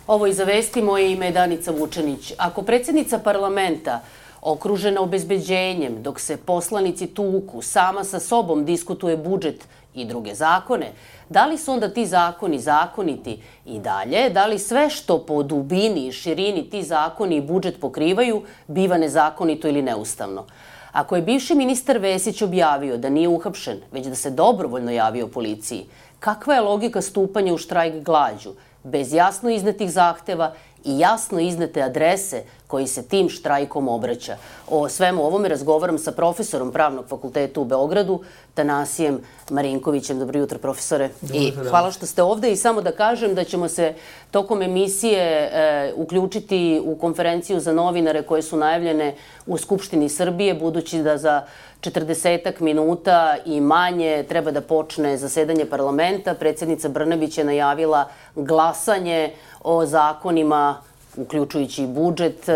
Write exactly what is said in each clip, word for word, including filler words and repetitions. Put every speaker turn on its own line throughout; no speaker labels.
Ovo i za vesti, moje ime je Danica Vučanić. Ako predsjednica parlamenta, okružena obezbeđenjem, dok se poslanici tuku, sama sa sobom diskutuje budžet i druge zakone, da li su onda ti zakoni zakoniti i dalje? Da li sve što po dubini i širini ti zakoni i budžet pokrivaju biva nezakonito ili neustavno? Ako je bivši ministar Vesić objavio da nije uhapšen, već da se dobrovoljno javio policiji, kakva je logika stupanja u štrajk glađu, bez jasno iznetih zahteva i jasno iznete adrese koji se tim štrajkom obraća? O svemu ovome razgovaram sa profesorom Pravnog fakulteta u Beogradu, Tanasijem Marinkovićem. Dobro jutro, profesore. I hvala što ste ovde i samo da kažem da ćemo se tokom emisije e, uključiti u konferenciju za novinare koje su najavljene u Skupštini Srbije, budući da za četrdesetak minuta i manje treba da počne zasedanje parlamenta. Predsjednica Brnabić je najavila glasanje o zakonima, uključujući i budžet,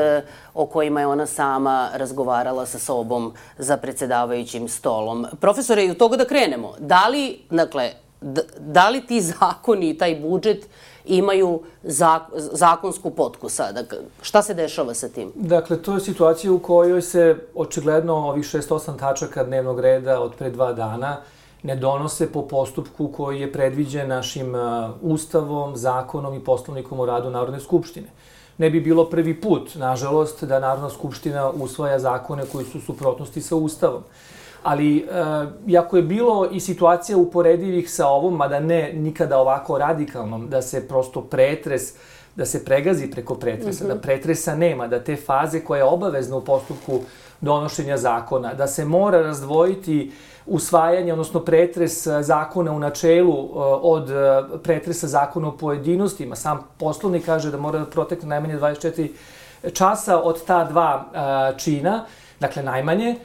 o kojima je ona sama razgovarala sa sobom za predsjedavajućim stolom. Profesore, i od toga da krenemo. Da li, dakle, da li ti zakoni i taj budžet imaju zakonsku potku sada? Šta se dešava sa tim?
Dakle, to je situacija u kojoj se očigledno ovih šest osam tačaka dnevnog reda od pre dva dana ne donose po postupku koji je predviđen našim Ustavom, zakonom i Poslovnikom o radu Narodne skupštine. Ne bi bilo prvi put, nažalost, da Narodna skupština usvaja zakone koji su u suprotnosti sa Ustavom. Ali, iako je bilo i situacija uporedivih sa ovom, mada ne nikada ovako radikalnom, da se prosto pretres, da se pregazi preko pretresa, da pretresa nema, da te faze koja je obavezna u postupku donošenja zakona, da se mora razdvojiti usvajanje, odnosno pretres zakona u načelu od pretresa zakona u pojedinostima. Sam Poslovnik kaže da mora da protekne najmanje dvadeset četiri časa od ta dva čina, dakle najmanje.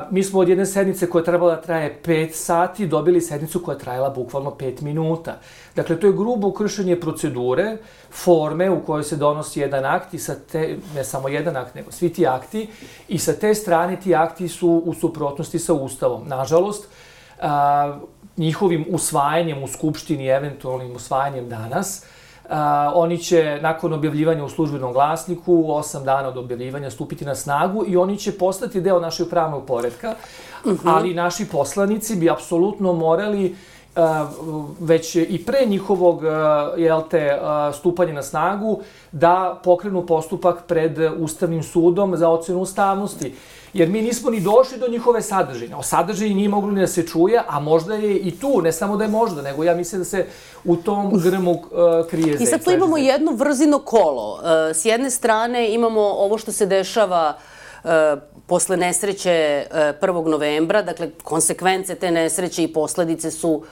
Mi smo od jedne sednice koja je trebala da traje pet sati dobili sednicu koja je trajala bukvalno pet minuta. Dakle, to je grubo kršenje procedure, forme u kojoj se donosi jedan akt i sa te, ne samo jedan akt, nego svi ti akti, i sa te strane ti akti su u suprotnosti sa Ustavom. Nažalost, njihovim usvajanjem u Skupštini, eventualnim usvajanjem danas, Uh, oni će nakon objavljivanja u službenom glasniku osam dana od objavljivanja stupiti na snagu i oni će postati deo našeg pravnog poretka, uh-huh. ali naši poslanici bi apsolutno morali uh, već i pre njihovog uh, jel te, uh, stupanja na snagu da pokrenu postupak pred Ustavnim sudom za ocenu ustavnosti. Jer mi nismo ni došli do njihove sadržine. O sadržini nije moglo ni da se čuje, a možda je i tu, ne samo da je možda, nego ja mislim da se u tom grmu uh, krije zec.
I sad tu imamo jedno vrzino kolo. Uh, s jedne strane imamo ovo što se dešava uh, posle nesreće uh, prvog novembra, dakle, konsekvence te nesreće i posledice su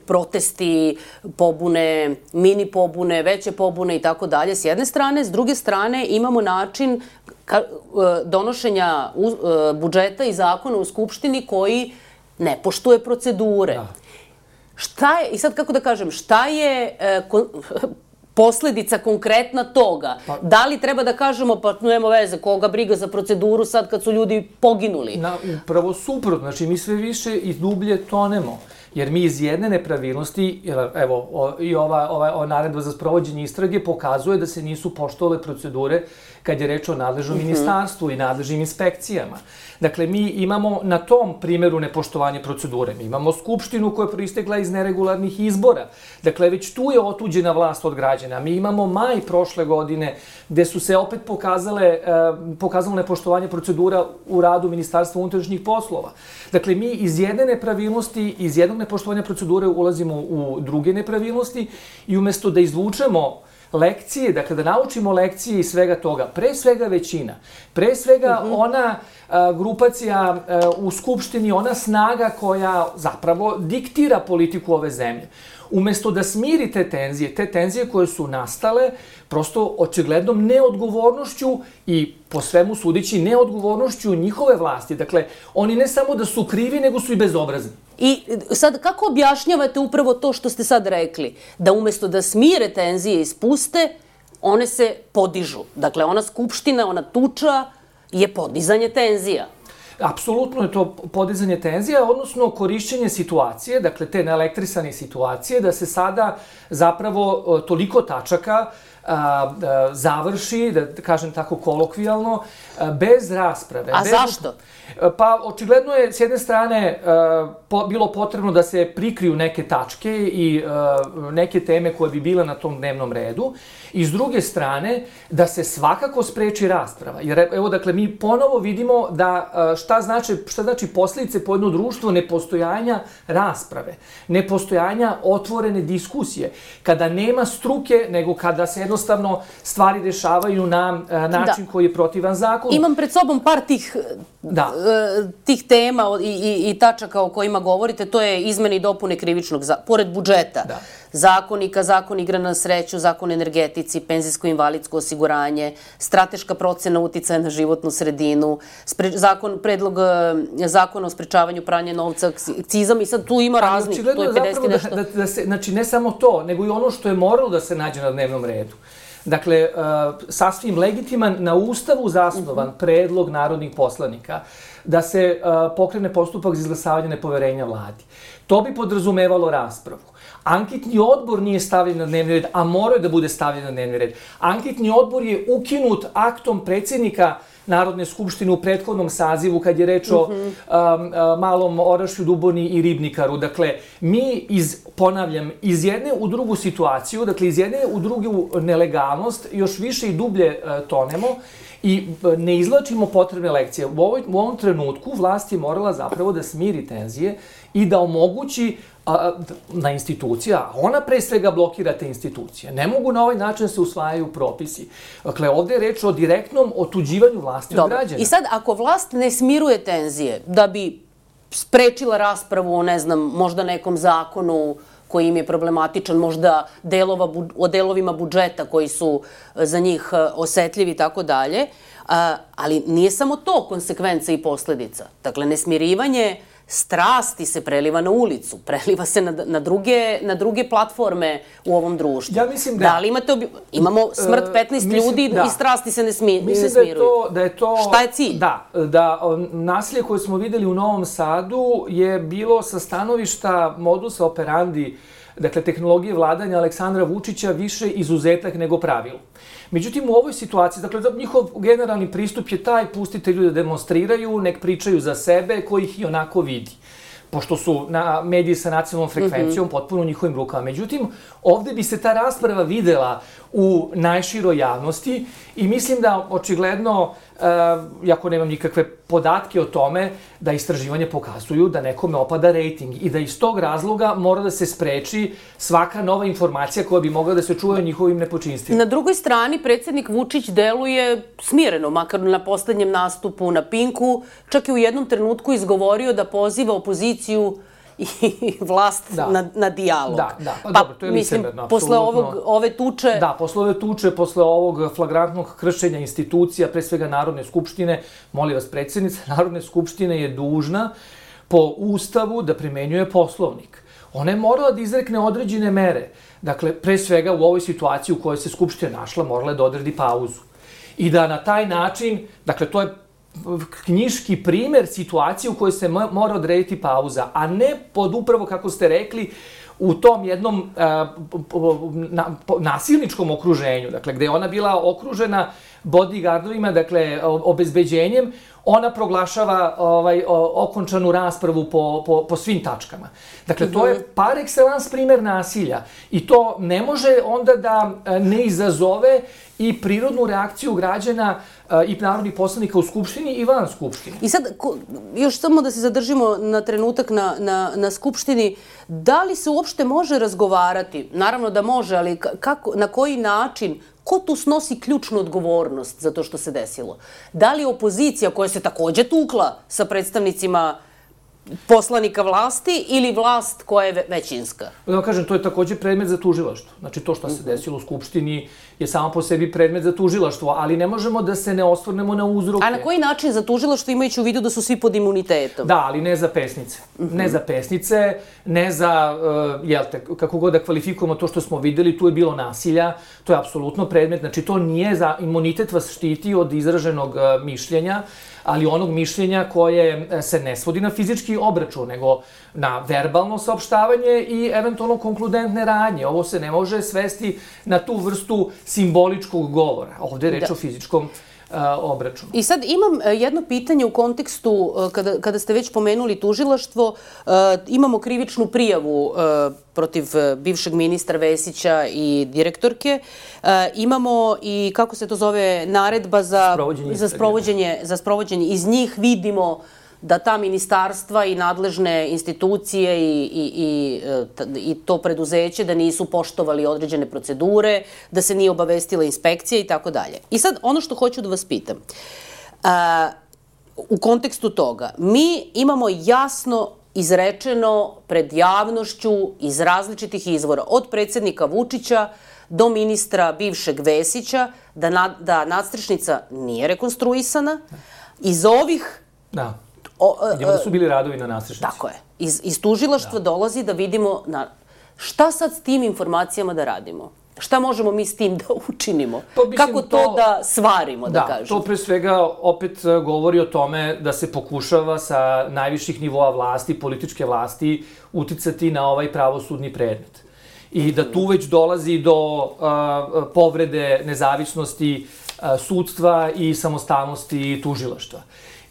protesti, pobune, mini pobune, veće pobune i tako dalje s jedne strane. S druge strane imamo način donošenja budžeta i zakona u Skupštini koji ne poštuje procedure. Šta je, i sad kako da kažem, šta je posledica konkretna toga? Da li treba da kažemo, pa nema veze, koga briga za proceduru sad kad su ljudi poginuli?
Upravo suprotno, znači mi sve više i dublje tonemo. Jer mi iz jedne nepravilnosti, evo, i ova, ova, ova naredba za sprovođenje istrage pokazuje da se nisu poštovale procedure kad je reč o nadležnom mm-hmm. ministarstvu i nadležnim inspekcijama. Dakle, mi imamo na tom primjeru nepoštovanje procedure. Mi imamo Skupštinu koja je proistekla iz neregularnih izbora. Dakle, već tu je otuđena vlast od građana. Mi imamo maj prošle godine gde su se opet pokazale, eh, pokazalo nepoštovanje procedura u radu Ministarstva unutrašnjih poslova. Dakle, mi iz jedne nepravilnosti, iz jednog nepoštovanja procedure ulazimo u druge nepravilnosti i umjesto da izvučemo lekcije, dakle da naučimo lekcije iz svega toga, pre svega većina, pre svega uh-huh. ona a, grupacija a, u Skupštini, ona snaga koja zapravo diktira politiku ove zemlje. Umesto da smiri te tenzije, te tenzije koje su nastale prosto očiglednom neodgovornošću i po svemu sudići neodgovornošću njihove vlasti. Dakle, oni ne samo da su krivi, nego su i bezobrazni.
I sad, kako objašnjavate upravo to što ste sad rekli? Da umesto da smire tenzije i spuste, one se podižu. Dakle, ona skupština, ona tuča je podizanje tenzija.
apsolutno je to podizanje tenzija, odnosno korišćenje situacije, dakle te neelektrisane situacije, da se sada zapravo toliko tačaka a, a, završi, da kažem tako kolokvijalno, a, bez rasprave.
A
bez...
zašto?
Pa, očigledno je, s jedne strane, a, po, bilo potrebno da se prikriju neke tačke i a, neke teme koje bi bile na tom dnevnom redu, i s druge strane, da se svakako spreči rasprava. Jer, evo, dakle, mi ponovo vidimo da a, šta znači, šta znači posljedice po jedno društvo nepostojanja rasprave, nepostojanja otvorene diskusije, kada nema struke, nego kada se jednostavno stvari rešavaju na a, način da. koji je protivan zakonu.
Imam pred sobom par tih,
da.
tih tema i, i, i tačaka o kojima govorite. To je izmene i dopune krivičnog, za, pored budžeta, da. zakonika, zakon igra na sreću, zakon energetici, penzijsko-invalidsko osiguranje, strateška procena uticaja na životnu sredinu, spre, zakon, predlog zakona o sprečavanju pranja novca, akcizam, i sad tu ima raznih, to je pedeset nešto.
Da, da, da se, znači, ne samo to, nego i ono što je moralo da se nađe na dnevnom redu. Dakle, uh, sasvim legitiman, na Ustavu zasnovan uh-huh. predlog narodnih poslanika da se uh, pokrene postupak za izglasavanje nepoverenja vladi. To bi podrazumevalo raspravu. Anketni odbor nije stavljen na dnevni red, a morao je da bude stavljen na dnevni red. Anketni odbor je ukinut aktom predsjednika Narodne skupštine u prethodnom sazivu, kad je reč o mm-hmm. um, uh, Malom Orašju, Duboni i Ribnikaru. Dakle, mi, iz, ponavljam, iz jedne u drugu situaciju, dakle, iz jedne u drugu nelegalnost, još više i dublje uh, tonemo i uh, ne izlačimo potrebne lekcije. U, ovoj, u ovom trenutku vlast je morala zapravo da smiri tenzije i da omogući a, na institucija, a ona pre svega blokira te institucije. Ne mogu na ovaj način se usvajaju propisi. Dakle, ovdje je reč o direktnom otuđivanju vlasti od građana.
I sad, ako vlast ne smiruje tenzije da bi sprečila raspravu o, ne znam, možda nekom zakonu koji im je problematičan, možda delova, o delovima budžeta koji su za njih osetljivi i tako dalje, ali nije samo to konsekvenca i posljedica. Dakle, nesmirivanje strasti se preliva na ulicu, preliva se na, na, druge, na druge platforme u ovom društvu.
Ja mislim da...
Da li imate obi... Imamo smrt petnaest uh, ljudi da. i strasti se ne, smi,
mislim
ne smiruju.
Da je, to, da je to...
Šta je cilj?
Da, da nasilje koje smo videli u Novom Sadu je bilo sa stanovišta modusa operandi, dakle, tehnologije vladanja Aleksandra Vučića, više izuzetak nego pravilo. Međutim, u ovoj situaciji, dakle, njihov generalni pristup je taj, pustite ljude demonstriraju, nek pričaju za sebe, koji ih i onako vidi. Pošto su na mediji sa nacionalnom frekvencijom mm-hmm. potpuno u njihovim rukama. Međutim, ovdje bi se ta rasprava videla u najširoj javnosti i mislim da očigledno, uh, jako nemam nikakve podatke o tome, da istraživanje pokazuju da nekome opada rejting i da iz tog razloga mora da se spreči svaka nova informacija koja bi mogla da se čuje o njihovim nepočinstvima.
Na drugoj strani, predsjednik Vučić deluje smireno, makar na poslednjem nastupu na Pinku, čak je u jednom trenutku izgovorio da poziva opoziciju i vlast
da.
na, na dijalog.
Da, da. Pa,
pa
dobro, to je licemerno,
posle ovog, ove tuče...
Da, posle ove tuče, posle ovog flagrantnog kršenja institucija, pre svega Narodne skupštine, molim vas, predsjednica Narodne skupštine je dužna po Ustavu da primenjuje Poslovnik. Ona je morala da izrekne određene mere. Dakle, pre svega u ovoj situaciji u kojoj se Skupština našla, morala je da odredi pauzu. I da na taj način, dakle, to je knjiški primer situacije u kojoj se mora odrediti pauza, a ne pod upravo, kako ste rekli, u tom jednom uh, na, nasilničkom okruženju, dakle, gde je ona bila okružena bodyguardovima, dakle, obezbeđenjem, ona proglašava ovaj, okončanu raspravu po, po, po svim tačkama. Dakle, to je par excellence primer nasilja i to ne može onda da ne izazove i prirodnu reakciju građana i narodnih poslanika u Skupštini i van Skupštine.
I sad, još samo da se zadržimo na trenutak na, na, na Skupštini, da li se uopšte može razgovarati? Naravno da može, ali kako, na koji način, ko tu snosi ključnu odgovornost za to što se desilo? Da li opozicija koja se takođe tukla sa predstavnicima poslanika vlasti ili vlast koja je većinska?
Da vam kažem, to je takođe predmet za tužilaštvo. Znači, to što se desilo u Skupštini je samo po sebi predmet za tužilaštvo, ali ne možemo da se ne osvrnemo na uzroke.
A na koji način za tužilaštvo, imajući u vidu da su svi pod imunitetom?
Da, ali ne za pesnice. Ne za pesnice, ne za, jel te, kako god da kvalifikujemo to što smo videli, tu je bilo nasilja, to je apsolutno predmet, znači to nije za, imunitet vas štiti od izraženog mišljenja, ali onog mišljenja koje se ne svodi na fizički obračun, nego na verbalno saopštavanje i eventualno konkludentne radnje. Ovo se ne može svesti na tu vrstu simboličkog govora. Ovde je reč o fizičkom obračunu.
I sad imam jedno pitanje u kontekstu, kada, kada ste već pomenuli tužilaštvo, imamo krivičnu prijavu protiv bivšeg ministra Vesića i direktorke. Imamo i, kako se to zove, naredba za za sprovođenje, za sprovođenje. Iz njih vidimo da ta ministarstva i nadležne institucije i, i, i, i to preduzeće da nisu poštovali određene procedure, da se nije obavestila inspekcija i tako dalje. I sad, ono što hoću da vas pitam, a, u kontekstu toga, mi imamo jasno izrečeno pred javnošću iz različitih izvora, od predsjednika Vučića do ministra bivšeg Vesića, da, na, da nadstrešnica nije rekonstruisana. Iz ovih...
Da. Vidimo da su bili radovi na nadstrešnici.
Tako je. Iz, iz tužilaštva dolazi da vidimo na, šta sad s tim informacijama da radimo. Šta možemo mi s tim da učinimo? Pa, mislim, kako to, to da svarimo, da, da kažem?
To pre svega opet govori o tome da se pokušava sa najviših nivoa vlasti, političke vlasti, uticati na ovaj pravosudni predmet. I da tu već dolazi do uh, povrede nezavisnosti uh, sudstva i samostalnosti tužilaštva.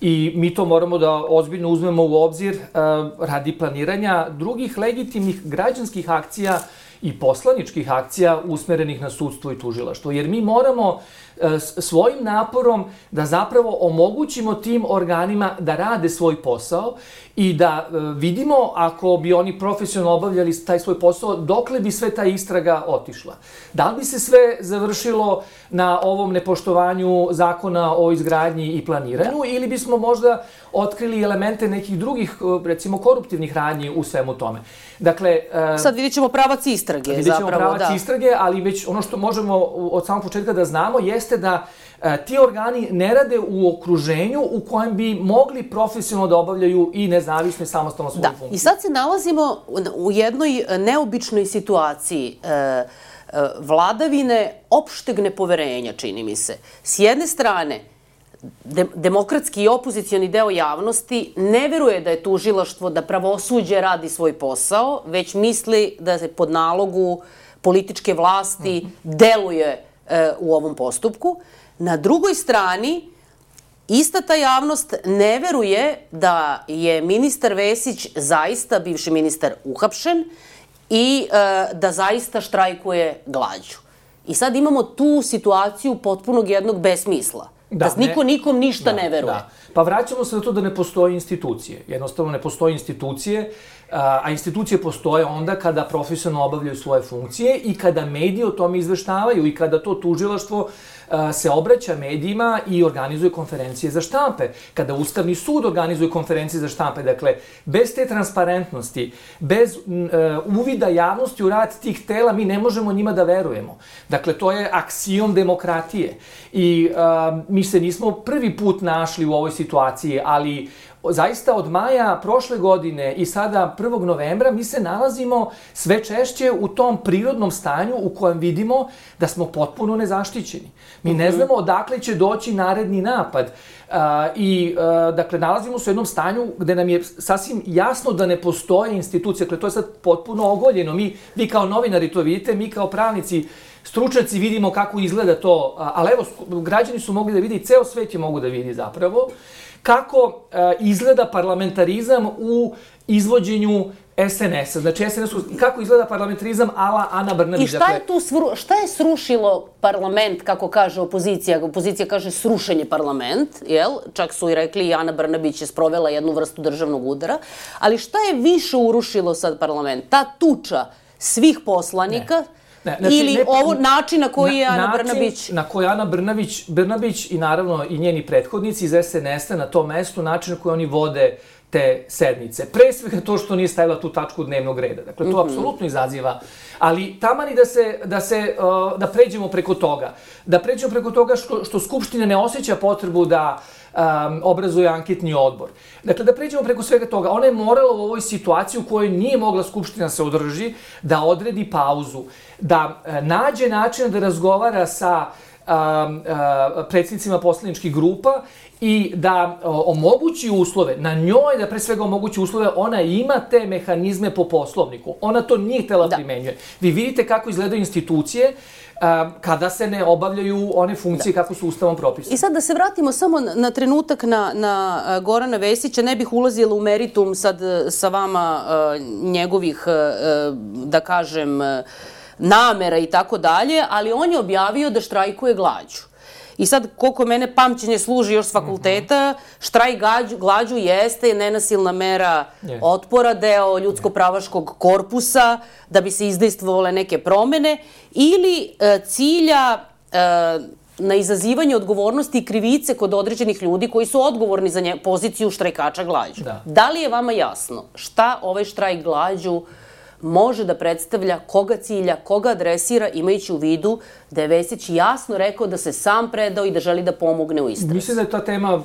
I mi to moramo da ozbiljno uzmemo u obzir uh, radi planiranja drugih legitimnih građanskih akcija i poslaničkih akcija usmerenih na sudstvo i tužilaštvo. Jer mi moramo uh, svojim naporom da zapravo omogućimo tim organima da rade svoj posao i da uh, vidimo, ako bi oni profesionalno obavljali taj svoj posao, dokle bi sve ta istraga otišla. Da li bi se sve završilo na ovom nepoštovanju zakona o izgradnji i planiranju, da, ili bismo možda otkrili elemente nekih drugih, recimo, koruptivnih radnji u svemu tome. Dakle,
sad vidjet ćemo pravac istrage, zapravo, da.
Vidjet ćemo pravac istrage, ali već ono što možemo od samog početka da znamo jeste da ti organi ne rade u okruženju u kojem bi mogli profesionalno da obavljaju i nezavisno i samostalno svoju funkciju.
Da, i sad se nalazimo u jednoj neobičnoj situaciji vladavine opšteg nepoverenja, čini mi se. S jedne strane, de, demokratski i opozicioni deo javnosti ne veruje da je tužilaštvo, da pravosuđe radi svoj posao, već misli da se pod nalogu političke vlasti deluje e, u ovom postupku. Na drugoj strani, ista ta javnost ne veruje da je ministar Vesić zaista, bivši ministar, uhapšen i e, da zaista štrajkuje glađu. I sad imamo tu situaciju potpunog jednog besmisla. Da, da niko ne, nikom ništa da, ne veruje. Da.
Pa vraćamo se na to da ne postoje institucije. Jednostavno ne postoje institucije, a institucije postoje onda kada profesionalno obavljaju svoje funkcije i kada mediji o tome izveštavaju i kada to tužilaštvo se obraća medijima i organizuje konferencije za štampe. Kada Ustavni sud organizuje konferencije za štampe. Dakle, bez te transparentnosti, bez uh, uvida javnosti u rad tih tela, mi ne možemo njima da verujemo. Dakle, to je aksijom demokratije. I uh, mi se nismo prvi put našli u ovoj situaciji, ali zaista od maja prošle godine i sada prvog novembra mi se nalazimo sve češće u tom prirodnom stanju u kojem vidimo da smo potpuno nezaštićeni. Mi ne znamo odakle će doći naredni napad. Uh, I, uh, dakle, nalazimo se u jednom stanju gde nam je sasvim jasno da ne postoje institucije. Dakle, to je sad potpuno ogoljeno. Mi, vi kao novinari to vidite, mi kao pravnici, stručnjaci vidimo kako izgleda to. Ali evo, građani su mogli da vidi i ceo svet je mogu da vidi zapravo kako uh, izgleda parlamentarizam u izvođenju es en es a. Znači, es en es, kako izgleda parlamentarizam ala Ana Brnabić.
I šta je tu svru, šta je srušilo parlament, kako kaže opozicija? Opozicija kaže srušen je parlament, jel? Čak su i rekli i Ana Brnabić je sprovela jednu vrstu državnog udara. Ali šta je više urušilo sad parlament? Ta tuča svih poslanika, ne. Ne, znači, ili ne, ovo način na koji je Ana način Brnabić...
na koji Ana Brnabić, Brnabić i naravno i njeni prethodnici iz es en es a na tom mestu, način na koji oni vode te sednice. Pre svega to što nije stavila tu tačku dnevnog reda. Dakle, to apsolutno izaziva. Ali tamani da se, da se, da pređemo preko toga. Da pređemo preko toga što, što Skupština ne osjeća potrebu da um, obrazuje anketni odbor. Dakle, da pređemo preko svega toga. Ona je morala u ovoj situaciji u kojoj nije mogla Skupština se održi, da odredi pauzu, da nađe način da razgovara sa um, uh, predsjednicima poslaničkih grupa i da o, omogući uslove, na njoj da pre svega omogući uslove, ona ima te mehanizme po poslovniku. Ona to nije htela da primenjuje. Vi vidite kako izgledaju institucije a, kada se ne obavljaju one funkcije da. Kako su ustavom propisane.
I sad da se vratimo samo na, na trenutak na, na Gorana Vesića, ne bih ulazila u meritum sad sa vama a, njegovih, a, da kažem, namera i tako dalje, ali on je objavio da štrajkuje glađu. I sad, koliko mene pamćenje služi još s fakulteta, štrajk glađu, glađu jeste nenasilna mera yes. otpora, deo ljudsko-pravaškog korpusa, da bi se izdejstvovale neke promene, ili e, cilja e, na izazivanje odgovornosti i krivice kod određenih ljudi koji su odgovorni za nje, poziciju štrajkača glađu. Da. Da li je vama jasno šta ovaj štrajk glađu može da predstavlja, koga cilja, koga adresira, imajući u vidu da je Vesić jasno rekao da se sam predao i da želi da pomogne u istrazi?
Mislim da je ta tema uh,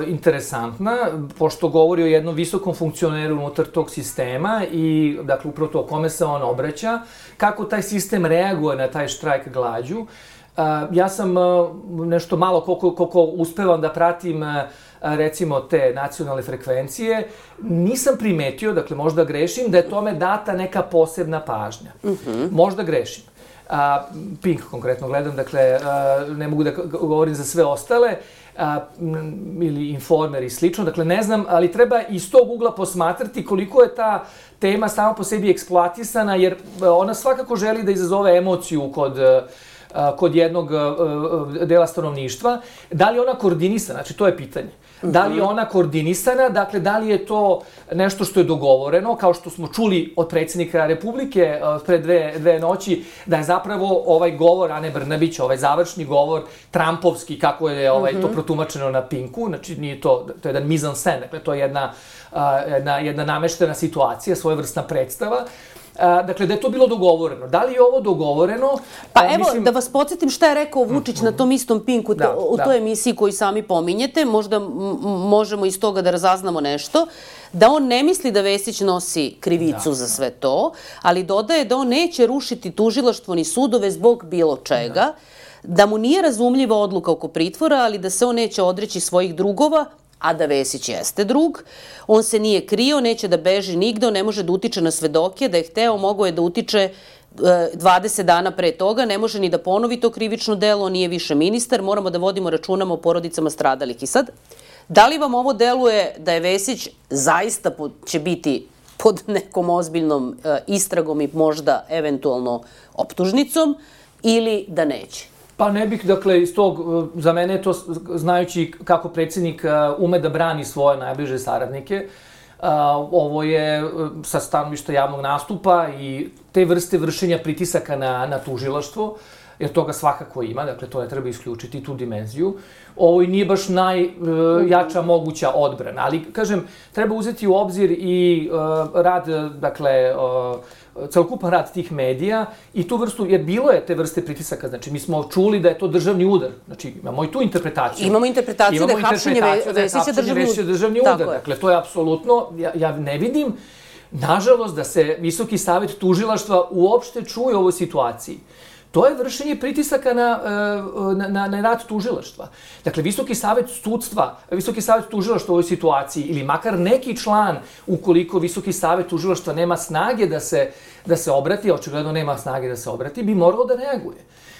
interesantna, pošto govori o jednom visokom funkcioneru unutar tog sistema i, dakle, upravo to kome se on obraća, kako taj sistem reaguje na taj štrajk glađu. Uh, ja sam uh, nešto malo, koliko, koliko uspevam da pratim uh, recimo te nacionalne frekvencije, nisam primetio, dakle možda grešim, da je tome data neka posebna pažnja. Uh-huh. Možda grešim. A, Pink konkretno gledam, dakle a, ne mogu da govorim za sve ostale, a, ili Informer i slično, dakle ne znam, ali treba iz tog ugla posmatrati koliko je ta tema sama po sebi eksploatisana, jer ona svakako želi da izazove emociju kod kod jednog dela stanovništva. Da li je ona koordinisana? Znači, to je pitanje. Da li je ona koordinisana? Dakle, da li je to nešto što je dogovoreno, kao što smo čuli od predsjednika Republike pre dve, dve noći, da je zapravo ovaj govor Ane Brnabić, ovaj završni govor, Trumpovski, kako je ovaj, to protumačeno na Pinku, znači nije to, to je jedan mise en scène, dakle, to je jedna, jedna, jedna nameštena situacija, svojevrsna predstava. Dakle, da je to bilo dogovoreno. Da li je ovo dogovoreno?
Pa evo, mislim... da vas podsjetim šta je rekao Vučić na tom istom Pinku, da, u toj da. emisiji koju sami pominjete, možda možemo iz toga da razaznamo nešto, da on ne misli da Vesić nosi krivicu da, za sve to, ali dodaje da on neće rušiti tužilaštvo ni sudove zbog bilo čega, da, da mu nije razumljiva odluka oko pritvora, ali da se on neće odreći svojih drugova, a da Vesić jeste drug. On se nije krio, neće da beži nigde, on ne može da utiče na svedoke, da je hteo, mogao je da utiče dvadeset dana pre toga, ne može ni da ponovi to krivično delo, on nije više ministar, moramo da vodimo računamo o porodicama stradalih. I sad, da li vam ovo deluje da je Vesić zaista će biti pod nekom ozbiljnom istragom i možda eventualno optužnicom, ili da neće?
Pa ne bih, dakle, iz tog, za mene je to, znajući kako predsjednik ume da brani svoje najbliže saradnike, ovo je sa stanovišta javnog nastupa i te vrste vršenja pritisaka na, na tužilaštvo, jer toga svakako ima, dakle, to ne treba isključiti, tu dimenziju. Ovo i nije baš najjača moguća odbrana, ali, kažem, treba uzeti u obzir i rad, dakle, celokupan rad tih medija i tu vrstu, jer bilo je te vrste pritisaka, znači mi smo čuli da je to državni udar, znači imamo i tu interpretaciju.
Imamo interpretaciju da je hapšenje Vesića
državni udar. Dakle, to je apsolutno, ja, ja ne vidim, nažalost, da se Visoki savet tužilaštva uopšte čuje u ovoj situaciji. To je vršenje pritisaka na, na, na, na rad tužilaštva. Dakle, Visoki savet sudstva, Visoki savet tužilaštva u ovoj situaciji, ili makar neki član, ukoliko Visoki savet tužilaštva nema snage da se, da se obrati, očigledno nema snage da se obrati, bi moralo da reaguje.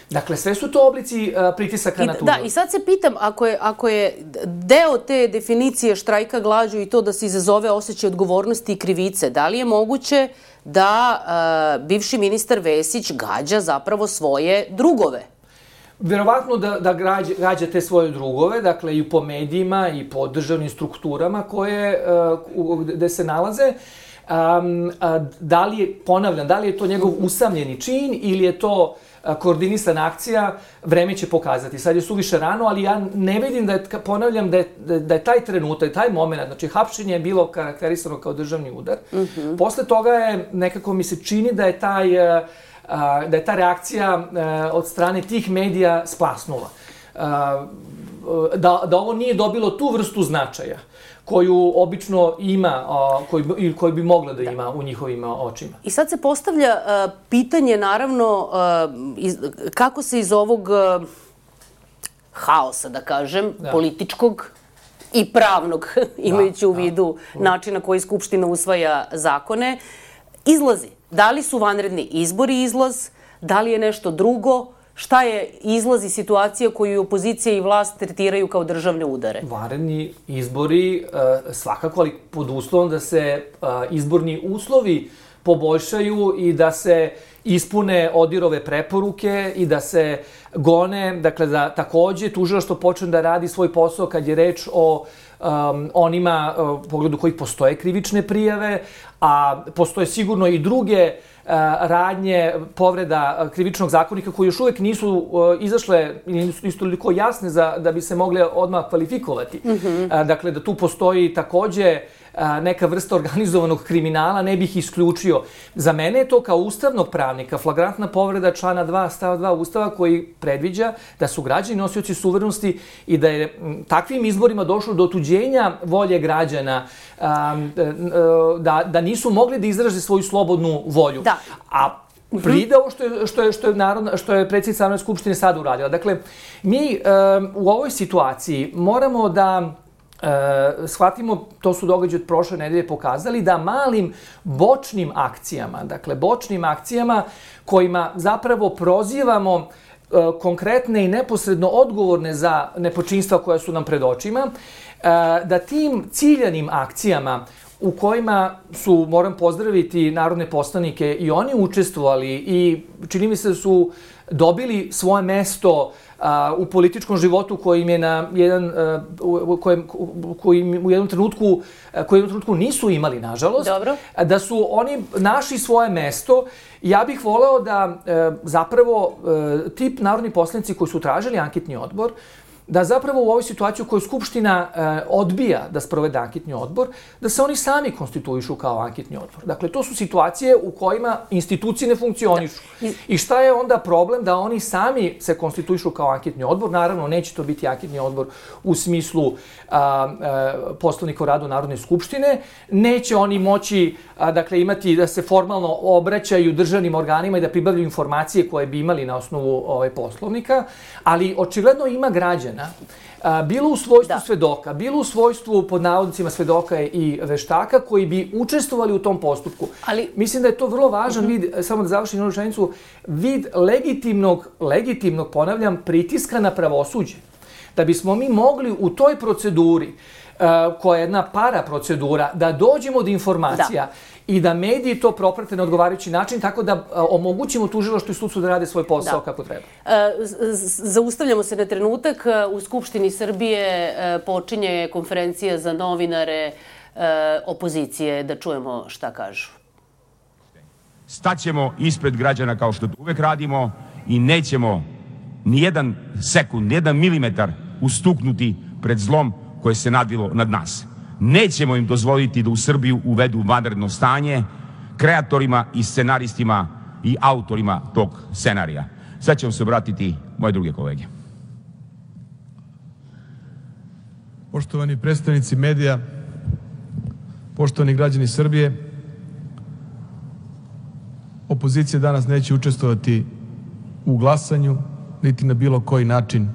Dakle, sve su to oblici uh, pritisaka I, na tužilaštvo.
Da, i sad se pitam, ako je, ako je deo te definicije štrajka glađu i to da se izazove osjećaj odgovornosti i krivice, da li je moguće da uh, bivši ministar Vesić gađa zapravo svoje drugove?
Verovatno da, da gađa, gađa te svoje drugove, dakle i po medijima i po državnim strukturama koje, uh, gde se nalaze. Um, a, da li je, ponavljam, da li je to njegov usamljeni čin ili je to koordinisana akcija, vreme će pokazati. Sad je suviše rano, ali ja ne vidim da je, ponavljam, da je, da je taj trenutak, taj moment, znači hapšenje je bilo karakterisano kao državni udar. Mm-hmm. Posle toga je, nekako mi se čini da je taj, da je ta reakcija od strane tih medija splasnula. Da, da ovo nije dobilo tu vrstu značaja koju obično ima, koji, ili koji bi mogla da ima u njihovim očima.
I sad se postavlja uh, pitanje, naravno, uh, iz, kako se iz ovog uh, haosa, da kažem, da. političkog i pravnog, imajući da, u vidu da. načina koji Skupština usvaja zakone, izlazi. Da li su vanredni izbori izlaz, da li je nešto drugo, šta je izlaz i situacija koju opozicija i vlast tretiraju kao državne udare?
Vanredni izbori svakako, ali pod uslovom da se izborni uslovi poboljšaju i da se ispune ODIHR-ove preporuke i da se gone, dakle da takođe tužilaštvo počne da radi svoj posao kad je reč o um, onima u pogledu kojih postoje krivične prijave, a postoje sigurno i druge radnje povreda krivičnog zakonika koji još uvek nisu izašle ili nisu toliko jasne za, da bi se mogle odmah kvalifikovati. Mm-hmm. Dakle, da tu postoji takođe neka vrsta organizovanog kriminala, ne bih isključio. Za mene je to kao ustavnog pravnika flagrantna povreda člana dva, stav dva Ustava koji predviđa da su građani nosioci suverenosti i da je takvim izborima došlo do otuđenja volje građana, da, da nisu mogli da izraže svoju slobodnu volju. Da. A pride ovo što je, što je, što je, narodna, što je predsjednica Narodne skupštine sad uradila. Dakle, mi um, u ovoj situaciji moramo da E, shvatimo, to su događaji od prošle nedelje pokazali, da malim bočnim akcijama, dakle bočnim akcijama kojima zapravo prozivamo e, konkretne i neposredno odgovorne za nepočinstva koja su nam pred očima, e, da tim ciljanim akcijama u kojima su, moram pozdraviti narodne poslanike, i oni učestvovali i čini mi se da su dobili svoje mesto a, u političkom životu koji im je na jedan u kojem koji u jednom trenutku koji u jednom trenutku nisu imali, nažalost.
Dobro.
Da su oni našli svoje mesto. Ja bih voleo da e, zapravo e, tip narodni poslanici koji su tražili anketni odbor, da zapravo u ovoj situaciji u kojoj Skupština e, odbija da sprovede anketni odbor, da se oni sami konstituišu kao anketni odbor. Dakle, to su situacije u kojima institucije ne funkcionišu. Da. I šta je onda problem da oni sami se konstituišu kao anketni odbor? Naravno, neće to biti anketni odbor u smislu a, a, Poslovnika o radu Narodne skupštine. Neće oni moći a, dakle, imati da se formalno obraćaju državnim organima i da pribavljaju informacije koje bi imali na osnovu ovaj, Poslovnika, ali očigledno ima građana, bilo u svojstvu da. svedoka, bilo u svojstvu pod navodnicima svedoka i veštaka koji bi učestvovali u tom postupku. Ali mislim da je to vrlo važan uh-huh. vid, samo da završim jednu rečenicu, vid legitimnog, legitimnog, ponavljam, pritiska na pravosuđe. Da bismo mi mogli u toj proceduri, uh, koja je jedna para procedura, da dođemo do informacija da. i da mediji to proprate na odgovarajući način, tako da a, omogućimo tužilaštvu i sudstvu da rade svoj posao da. kako treba.
E, zaustavljamo se na trenutak. U Skupštini Srbije e, počinje konferencija za novinare e, opozicije. Da čujemo šta kažu.
Staćemo ispred građana kao što to uvek radimo i nećemo ni jedan sekund, ni jedan milimetar ustuknuti pred zlom koje se nadvilo nad nas. Nećemo im dozvoliti da u Srbiju uvedu vanredno stanje, kreatorima i scenaristima i autorima tog scenarija. Sad ćemo se obratiti moje druge kolege.
Poštovani predstavnici medija, poštovani građani Srbije, opozicija danas neće učestvovati u glasanju, niti na bilo koji način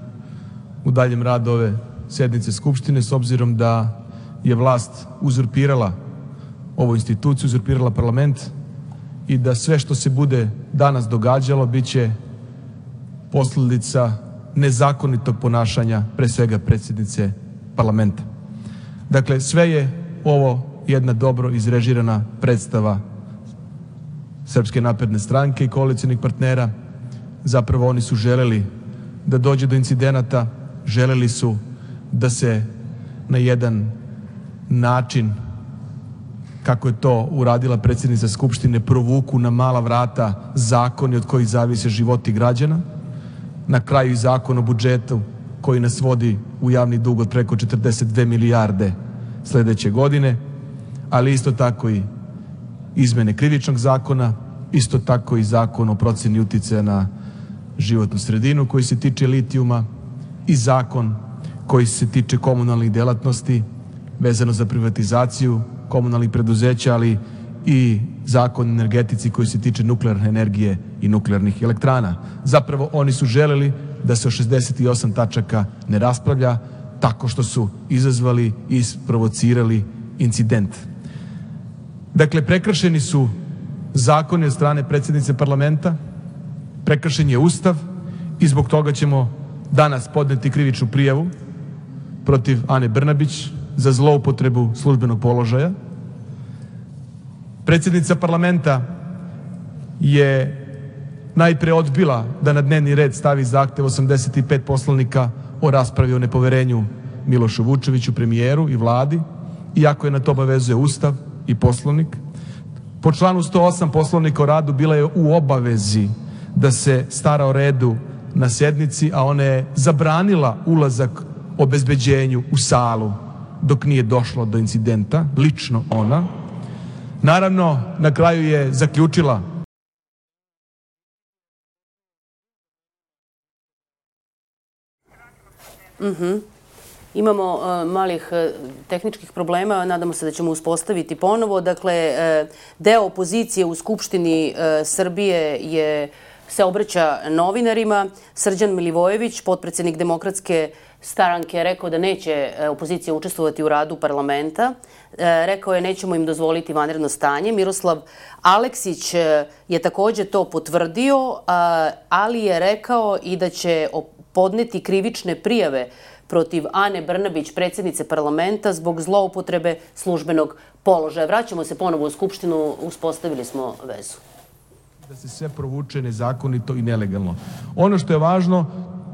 u daljem radu ove sednice Skupštine, s obzirom da je vlast uzurpirala ovu instituciju, uzurpirala parlament i da sve što se bude danas događalo biće posledica nezakonitog ponašanja, pre svega predsjednice parlamenta. Dakle, sve je ovo jedna dobro izrežirana predstava Srpske napredne stranke i koalicionih partnera. Zapravo oni su želeli da dođe do incidenata, želeli su da se na jedan način kako je to uradila predsjednica Skupštine, provuku na mala vrata zakoni od kojih zavise životi građana. Na kraju i zakon o budžetu koji nas vodi u javni dug od preko četrdeset dve milijarde sledeće godine, ali isto tako i izmene krivičnog zakona, isto tako i zakon o proceni uticaja na životnu sredinu koji se tiče litijuma i zakon koji se tiče komunalnih delatnosti vezano za privatizaciju komunalnih preduzeća, ali i zakon o energetici koji se tiče nuklearne energije i nuklearnih elektrana. Zapravo oni su želeli da se o šezdeset osam tačaka ne raspravlja tako što su izazvali i isprovocirali incident. Dakle, prekršeni su zakoni od strane predsjednice parlamenta, prekršen je Ustav i zbog toga ćemo danas podneti krivičnu prijavu protiv Ane Brnabić za zloupotrebu službenog položaja. Predsjednica parlamenta je najpre odbila da na dnevni red stavi zahtev osamdeset pet poslanika o raspravi o nepoverenju Milošu Vučeviću, premijeru i vladi, iako je na to obavezuje Ustav i Poslovnik. Po članu sto osam Poslovnika o radu bila je u obavezi da se stara o redu na sednici, a ona je zabranila ulazak obezbeđenju u salu dok nije došlo do incidenta, lično ona. Naravno, na kraju je zaključila
Mhm. Imamo uh, malih uh, tehničkih problema, nadamo se da ćemo uspostaviti ponovo. Dakle, uh, deo opozicije u Skupštini uh, Srbije je se obraća novinarima. Srđan Milivojević, potpredsednik Demokratske stranke, je rekao da neće opozicija učestvovati u radu parlamenta. Rekao je nećemo im dozvoliti vanredno stanje. Miroslav Aleksić je takođe to potvrdio, ali je rekao i da će podneti krivične prijave protiv Ane Brnabić, predsjednice parlamenta, zbog zloupotrebe službenog položaja. Vraćamo se ponovo u Skupštinu, uspostavili smo vezu.
Da se sve provuče nezakonito i nelegalno. Ono što je važno,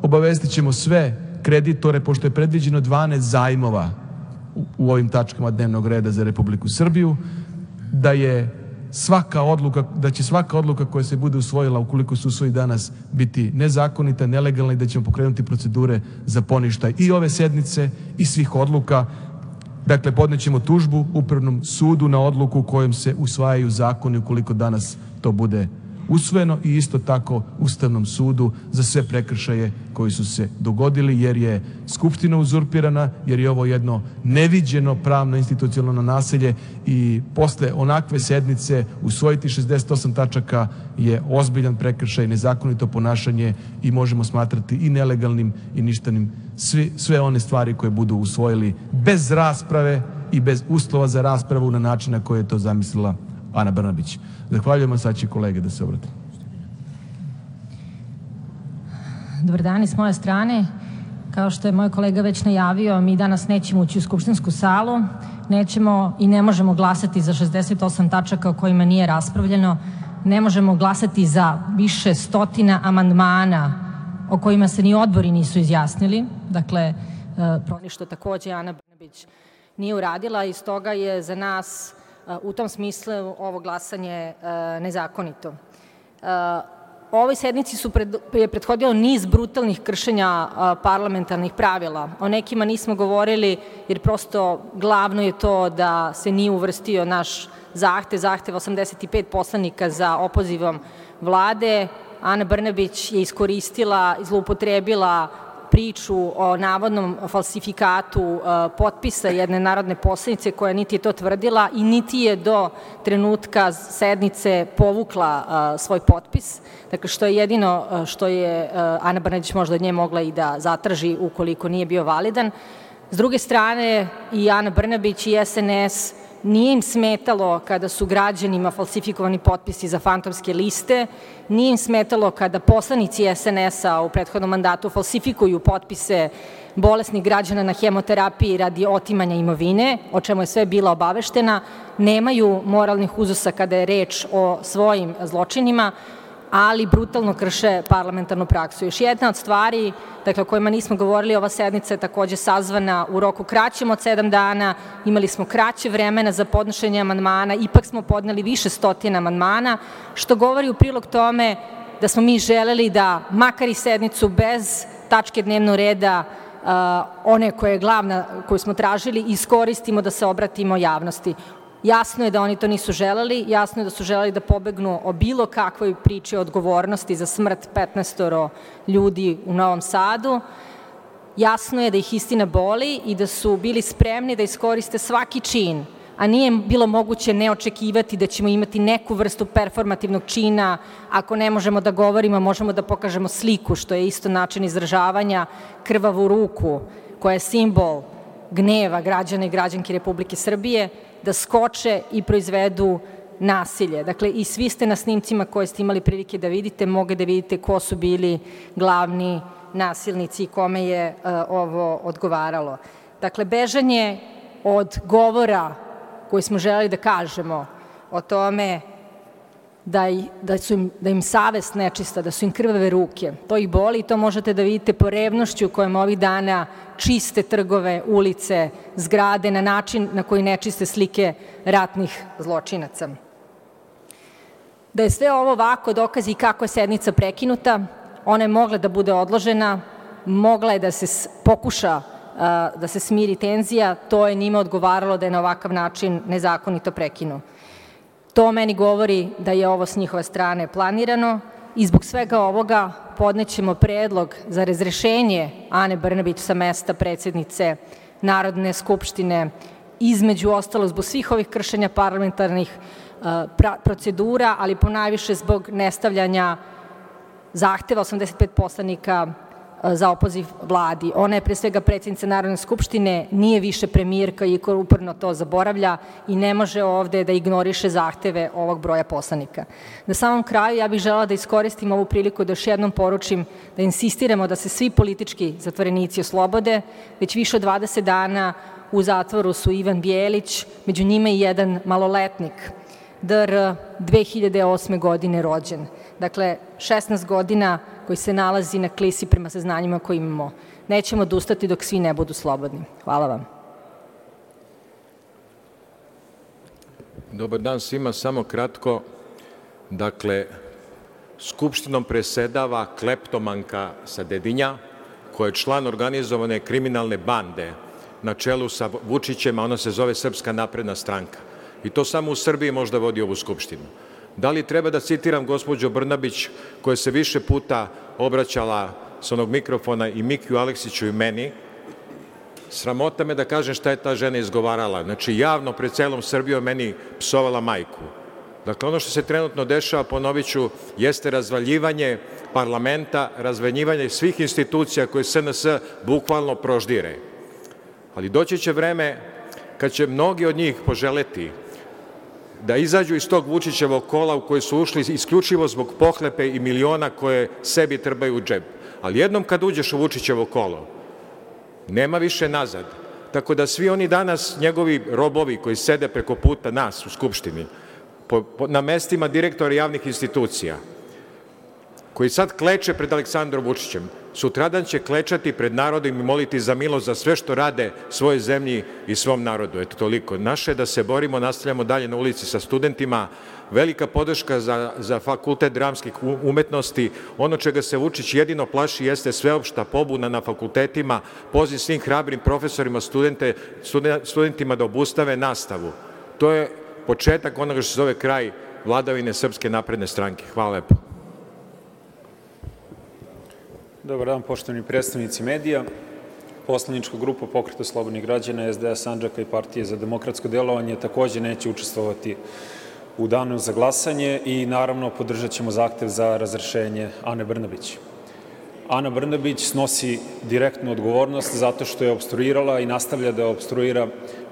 obavestit ćemo sve kreditore, pošto je predviđeno dvanaest zajmova u ovim tačkama dnevnog reda za Republiku Srbiju, da je svaka odluka, da će svaka odluka koja se bude usvojila, ukoliko se usvoji danas, biti nezakonita, nelegalna i da ćemo pokrenuti procedure za poništaj i ove sednice i svih odluka. Dakle, podnećemo tužbu Upravnom sudu na odluku kojom se usvajaju zakoni ukoliko danas to bude usvojeno i isto tako Ustavnom sudu za sve prekršaje koji su se dogodili, jer je Skupština uzurpirana, jer je ovo jedno neviđeno pravno institucionalno nasilje i posle onakve sednice usvojiti šezdeset osam tačaka je ozbiljan prekršaj, nezakonito ponašanje i možemo smatrati i nelegalnim i ništanim svi, sve one stvari koje budu usvojili bez rasprave i bez uslova za raspravu na način na koji je to zamislila Ana Brnabić. Zahvaljujem, sad će kolege da se obrate.
Dobar dan i s moje strane. Kao što je moj kolega već najavio, mi danas nećemo ući u skupštinsku salu, nećemo i ne možemo glasati za šezdeset osam tačaka o kojima nije raspravljeno, ne možemo glasati za više stotina amandmana o kojima se ni odbori nisu izjasnili. Dakle, što takođe Ana Brnabić nije uradila i stoga je za nas u tom smislu ovo glasanje nezakonito. Ovoj sednici su pred, je prethodilo niz brutalnih kršenja parlamentarnih pravila. O nekima nismo govorili jer prosto glavno je to da se nije uvrstio naš zahtev, zahtev osamdeset pet poslanika za opozivom vlade. Ana Brnabić je iskoristila, zloupotrebila priču o navodnom falsifikatu uh, potpisa jedne narodne poslanice koja niti je to tvrdila i niti je do trenutka sednice povukla uh, svoj potpis. Dakle, što je jedino uh, što je uh, Ana Brnabić možda od nje mogla i da zatraži ukoliko nije bio validan. S druge strane, i Ana Brnabić i S N S nije im smetalo kada su građanima falsifikovani potpisi za fantomske liste, nije im smetalo kada poslanici S N S-a u prethodnom mandatu falsifikuju potpise bolesnih građana na hemoterapiji radi otimanja imovine, o čemu je sve bila obaveštena, nemaju moralnih uzusa kada je reč o svojim zločinima ali brutalno krše parlamentarnu praksu. Još jedna od stvari, dakle, o kojima nismo govorili, ova sednica je takođe sazvana u roku kraćem od sedam dana, imali smo kraće vremena za podnošenje amandmana, ipak smo podneli više stotina amandmana, što govori u prilog tome da smo mi želeli da, makar i sednicu bez tačke dnevnog reda, one koje je glavna, koju smo tražili, iskoristimo da se obratimo javnosti. Jasno je da oni to nisu želeli, jasno je da su želeli da pobegnu o bilo kakvoj priči o odgovornosti za smrt petnaestoro ljudi u Novom Sadu. Jasno je da ih istina boli i da su bili spremni da iskoriste svaki čin, a nije bilo moguće ne očekivati da ćemo imati neku vrstu performativnog čina. Ako ne možemo da govorimo, možemo da pokažemo sliku, što je isto način izražavanja, krvavu ruku, koja je simbol gneva građana i građanki Republike Srbije, da skoče i proizvedu nasilje. Dakle, i svi ste na snimcima koje ste imali prilike da vidite, mogu da vidite ko su bili glavni nasilnici i kome je uh, ovo odgovaralo. Dakle, bežanje od govora koji smo želeli da kažemo o tome da, da, su im, da im savest nečista, da su im krvave ruke. To ih boli i to možete da vidite po revnošću kojom ovih dana čiste trgove, ulice, zgrade na način na koji ne čiste slike ratnih zločinaca. Da je sve ovo ovako dokazi kako je sednica prekinuta, ona je mogla da bude odložena, mogla je da se pokuša da se smiri tenzija, to je njima odgovaralo da je na ovakav način nezakonito prekinu. To meni govori da je ovo s njihove strane planirano i zbog svega ovoga podnećemo predlog za razrešenje Ane Brnabić sa mesta predsednice Narodne skupštine, između ostalo zbog svih ovih kršenja parlamentarnih procedura, ali ponajviše zbog nestavljanja zahteva osamdeset pet poslanika za opoziv vladi. Ona je pre svega predsjednica Narodne skupštine, nije više premijerka i uporno to zaboravlja i ne može ovde da ignoriše zahteve ovog broja poslanika. Na samom kraju ja bih želela da iskoristim ovu priliku da još jednom poručim da insistiramo da se svi politički zatvorenici oslobode. Već više od dvadeset dana u zatvoru su Ivan Bjelić, među njima i jedan maloletnik, D R dve hiljade osme godine rođen. Dakle, šesnaest godina koji se nalazi na klisi prema saznanjima koje imamo. Nećemo odustati dok svi ne budu slobodni. Hvala vam.
Dobar dan svima, samo kratko. Dakle, Skupštinom presedava kleptomanka sa Dedinja, koja je član organizovane kriminalne bande na čelu sa Vučićem, a ona se zove Srpska napredna stranka. I to samo u Srbiji možda vodi ovu Skupštinu. Da li treba da citiram gospođu Brnabić, koja se više puta obraćala s onog mikrofona i Mikiju Aleksiću i meni? Sramota me da kažem šta je ta žena izgovarala. Znači, javno pred celom Srbijom meni psovala majku. Dakle, ono što se trenutno dešava, ponovit ću, jeste razvaljivanje parlamenta, razvaljivanje svih institucija koje S N S bukvalno proždire. Ali doći će vreme kad će mnogi od njih poželeti da izađu iz tog Vučićevog kola u koji su ušli isključivo zbog pohlepe i miliona koje sebi trebaju u džep. Ali jednom kad uđeš u Vučićevo kolo, nema više nazad. Tako da svi oni danas, njegovi robovi koji sede preko puta nas u Skupštini, po, po, na mestima direktora javnih institucija, koji sad kleče pred Aleksandrom Vučićem, sutradan će klečati pred narodom i moliti za milost za sve što rade svojoj zemlji i svom narodu. Eto toliko. Naše je da se borimo, nastavljamo dalje na ulici sa studentima. Velika podrška za, za Fakultet dramskih umetnosti. Ono čega se Vučić jedino plaši jeste sveopšta pobuna na fakultetima, poziv svim hrabrim profesorima, studente, studentima da obustave nastavu. To je početak onoga što se zove kraj vladavine Srpske napredne stranke. Hvala lepo.
Dobar dan, poštovani predstavnici medija. Poslanička grupa Pokreta slobodnih građana, S D A Sandžaka i Partije za demokratsko delovanje takođe neće učestvovati u danu za glasanje i naravno podržat ćemo zahtev za razrešenje Ane Brnabić. Ana Brnabić snosi direktnu odgovornost zato što je opstruirala i nastavlja da opstruira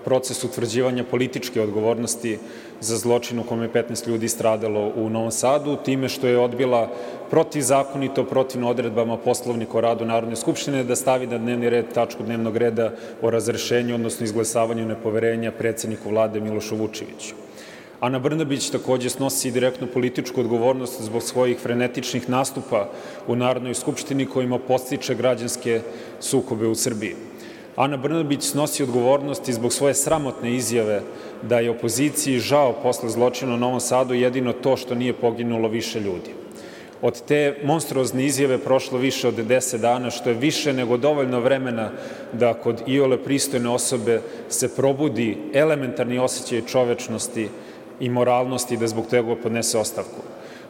proces utvrđivanja političke odgovornosti za zločin u kome je petnaest ljudi stradalo u Novom Sadu, time što je odbila protivzakonito, protivno odredbama Poslovnika o radu Narodne skupštine da stavi na dnevni red tačku dnevnog reda o razrešenju, odnosno izglasavanju nepoverenja predsedniku vlade Milošu Vučeviću. Ana Brnabić takođe snosi direktnu političku odgovornost zbog svojih frenetičnih nastupa u Narodnoj skupštini kojima podstiče građanske sukobe u Srbiji. Ana Brnabić snosi odgovornost i zbog svoje sramotne izjave da je opoziciji žao posle zločina u Novom Sadu jedino to što nije poginulo više ljudi. Od te monstruozne izjave prošlo više od deset dana, što je više nego dovoljno vremena da kod iole pristojne osobe se probudi elementarni osjećaj čovečnosti i moralnosti da zbog toga podnese ostavku.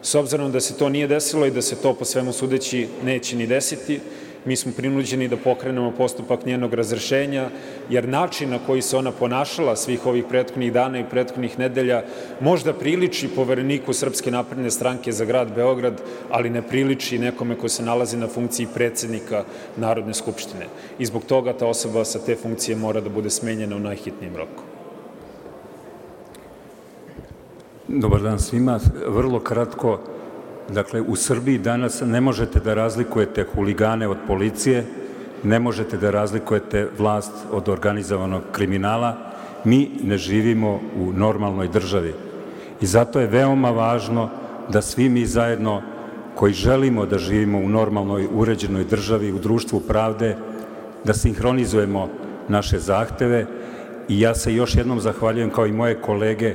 S obzirom da se to nije desilo i da se to po svemu sudeći neće ni desiti, mi smo prinuđeni da pokrenemo postupak njenog razrešenja, jer način na koji se ona ponašala svih ovih prethodnih dana i prethodnih nedelja možda priliči povereniku Srpske napredne stranke za grad Beograd, ali ne priliči nekome ko se nalazi na funkciji predsednika Narodne skupštine. I zbog toga ta osoba sa te funkcije mora da bude smenjena u najhitnijem roku.
Dobar dan svima. Vrlo kratko, dakle, u Srbiji danas ne možete da razlikujete huligane od policije, ne možete da razlikujete vlast od organizovanog kriminala. Mi ne živimo u normalnoj državi. I zato je veoma važno da svi mi zajedno koji želimo da živimo u normalnoj, uređenoj državi, u društvu pravde, da sinhronizujemo naše zahteve. I ja se još jednom zahvaljujem, kao i moje kolege,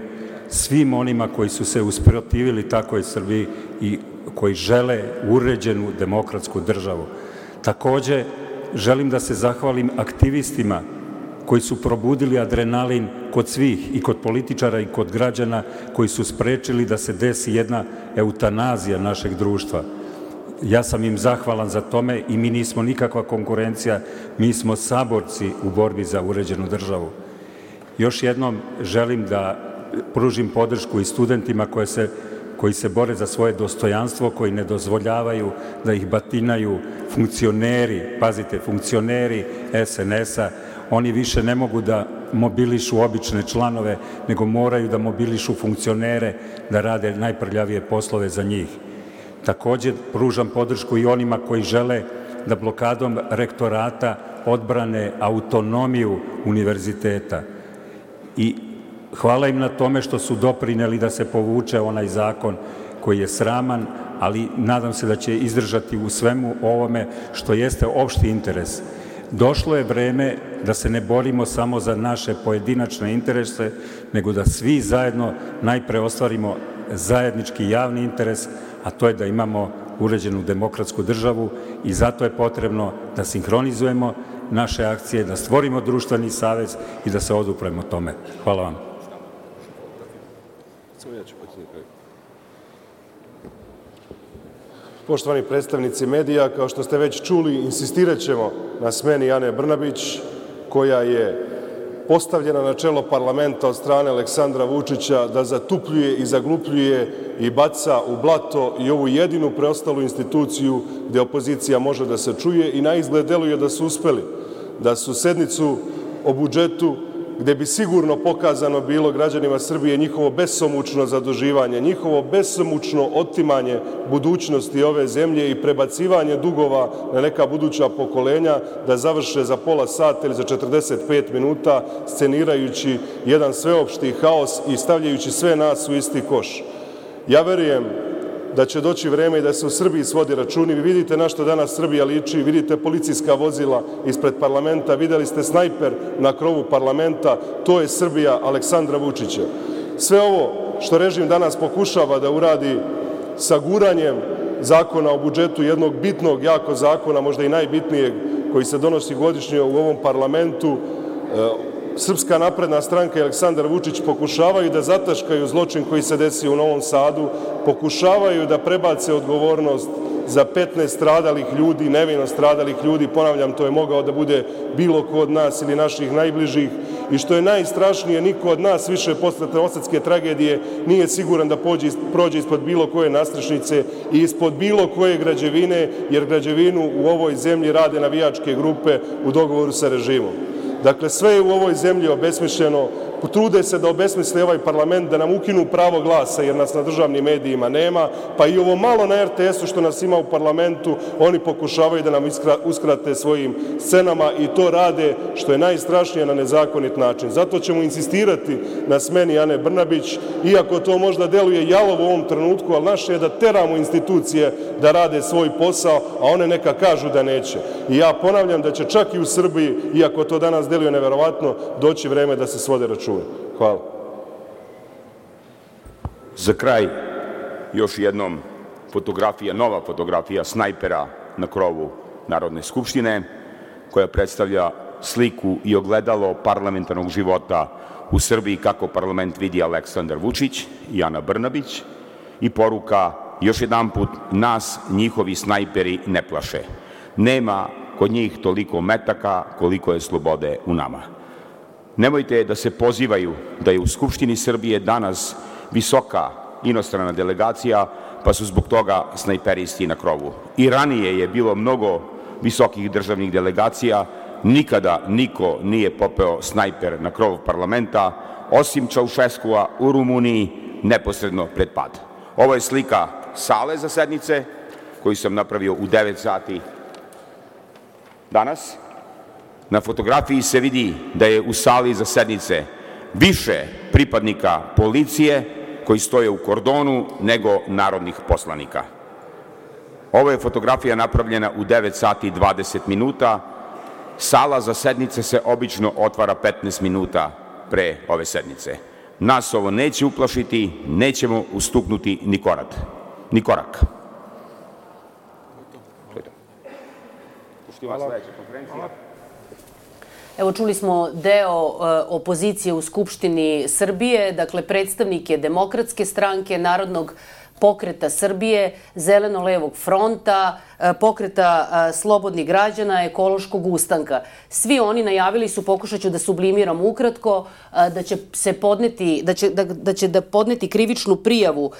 svim onima koji su se usprotivili takvoj Srbiji i koji žele uređenu demokratsku državu. Takođe, želim da se zahvalim aktivistima koji su probudili adrenalin kod svih, i kod političara i kod građana, koji su sprečili da se desi jedna eutanazija našeg društva. Ja sam im zahvalan za tome i mi nismo nikakva konkurencija, mi smo saborci u borbi za uređenu državu. Još jednom želim da pružim podršku i studentima koje se, koji se bore za svoje dostojanstvo, koji ne dozvoljavaju da ih batinaju funkcioneri, pazite, funkcioneri es en es-a. Oni više ne mogu da mobilišu obične članove, nego moraju da mobilišu funkcionere da rade najprljavije poslove za njih. Takođe, pružam podršku i onima koji žele da blokadom rektorata odbrane autonomiju univerziteta. I hvala im na tome što su doprineli da se povuče onaj zakon koji je sraman, ali nadam se da će izdržati u svemu ovome što jeste opšti interes. Došlo je vreme da se ne borimo samo za naše pojedinačne interese, nego da svi zajedno najpre ostvarimo zajednički javni interes, a to je da imamo uređenu demokratsku državu, i zato je potrebno da sinhronizujemo naše akcije, da stvorimo društveni savez i da se odupremo tome. Hvala vam.
Poštovani predstavnici medija, kao što ste već čuli, insistirat ćemo na smeni Ane Brnabić, koja je postavljena na čelo parlamenta od strane Aleksandra Vučića da zatupljuje i zaglupljuje i baca u blato i ovu jedinu preostalu instituciju gde opozicija može da se čuje, i na izgled deluje da su uspeli, da su sednicu o budžetu, gde bi sigurno pokazano bilo građanima Srbije njihovo besomučno zaduživanje, njihovo besomučno otimanje budućnosti ove zemlje i prebacivanje dugova na neka buduća pokolenja, da završe za pola sata ili za četrdeset pet minuta, scenirajući jedan sveopšti haos i stavljajući sve nas u isti koš. Ja verujem da će doći vreme i da se u Srbiji svodi računi. Vi vidite na što danas Srbija liči, vidite policijska vozila ispred parlamenta, videli ste snajper na krovu parlamenta, to je Srbija Aleksandra Vučića. Sve ovo što režim danas pokušava da uradi sa guranjem zakona o budžetu, jednog bitnog, jako zakona, možda i najbitnijeg, koji se donosi godišnje u ovom parlamentu, Srpska napredna stranka i Aleksandar Vučić pokušavaju da zataškaju zločin koji se desio u Novom Sadu, pokušavaju da prebace odgovornost za petnaest stradalih ljudi, nevino stradalih ljudi. Ponavljam, to je mogao da bude bilo ko od nas ili naših najbližih, i što je najstrašnije, niko od nas više posle Novosadske tragedije nije siguran da prođe ispod bilo koje nastrešnice i ispod bilo koje građevine, jer građevinu u ovoj zemlji rade navijačke grupe u dogovoru sa režimom. Dakle, sve je u ovoj zemlji obesmišljeno, trude se da obesmisle ovaj parlament, da nam ukinu pravo glasa jer nas na državnim medijima nema, pa i ovo malo na er te esu što nas ima u parlamentu, oni pokušavaju da nam uskrate svojim scenama i to rade, što je najstrašnije, na nezakonit način. Zato ćemo insistirati na smeni Ane Brnabić, iako to možda deluje jalovo u ovom trenutku, ali naše je da teramo institucije da rade svoj posao, a one neka kažu da neće. I ja ponavljam da će čak i u Srbiji, iako to danas deluje neverovatno, doći vreme da se svode račune. Hvala.
Za kraj, još jednom fotografija, nova fotografija snajpera na krovu Narodne skupštine, koja predstavlja sliku i ogledalo parlamentarnog života u Srbiji kako parlament vidi Aleksandar Vučić i Ana Brnabić i poruka još jedanput nas njihovi snajperi ne plaše. Nema kod njih toliko metaka koliko je slobode u nama. Nemojte da se pozivaju da je u Skupštini Srbije danas visoka inostrana delegacija, pa su zbog toga snajperisti na krovu. I ranije je bilo mnogo visokih državnih delegacija, nikada niko nije popeo snajper na krov parlamenta, osim Čaušeskua u Rumuniji neposredno pred pad. Ovo je slika sale za sednice koju sam napravio u devet sati danas. Na fotografiji se vidi da je u sali za sednice više pripadnika policije koji stoje u kordonu nego narodnih poslanika. Ovo je fotografija napravljena u devet sati i dvadeset minuta. Sala za sednice se obično otvara petnaest minuta pre ove sednice. Nas ovo neće uplašiti, nećemo ustuknuti ni korak. Ni korak.
Evo, čuli smo deo opozicije u Skupštini Srbije, dakle predstavnike Demokratske stranke, Narodnog pokreta Srbije, Zeleno-levog fronta, pokreta slobodnih građana, ekološkog ustanka. Svi oni najavili su, pokušat ću da sublimiram ukratko, da će se podneti, da će da, da će da podneti krivičnu prijavu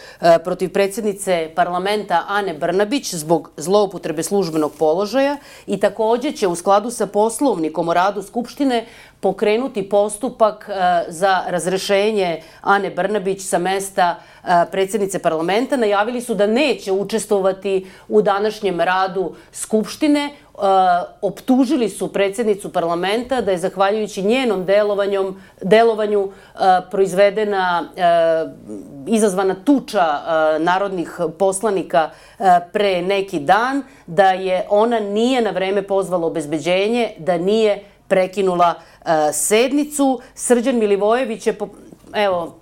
protiv predsjednice parlamenta Ane Brnabić zbog zloupotrebe službenog položaja i takođe će u skladu sa Poslovnikom o radu Skupštine pokrenuti postupak za razrešenje Ane Brnabić sa mesta predsjednice parlamenta. Najavili su da neće učestvovati u današnjem radu Skupštine. Optužili su predsjednicu parlamenta da je zahvaljujući njenom delovanju proizvedena, izazvana tuča narodnih poslanika pre neki dan, da je ona nije na vreme pozvala obezbeđenje, da nije prekinula sednicu. Srđan Milivojević je, evo,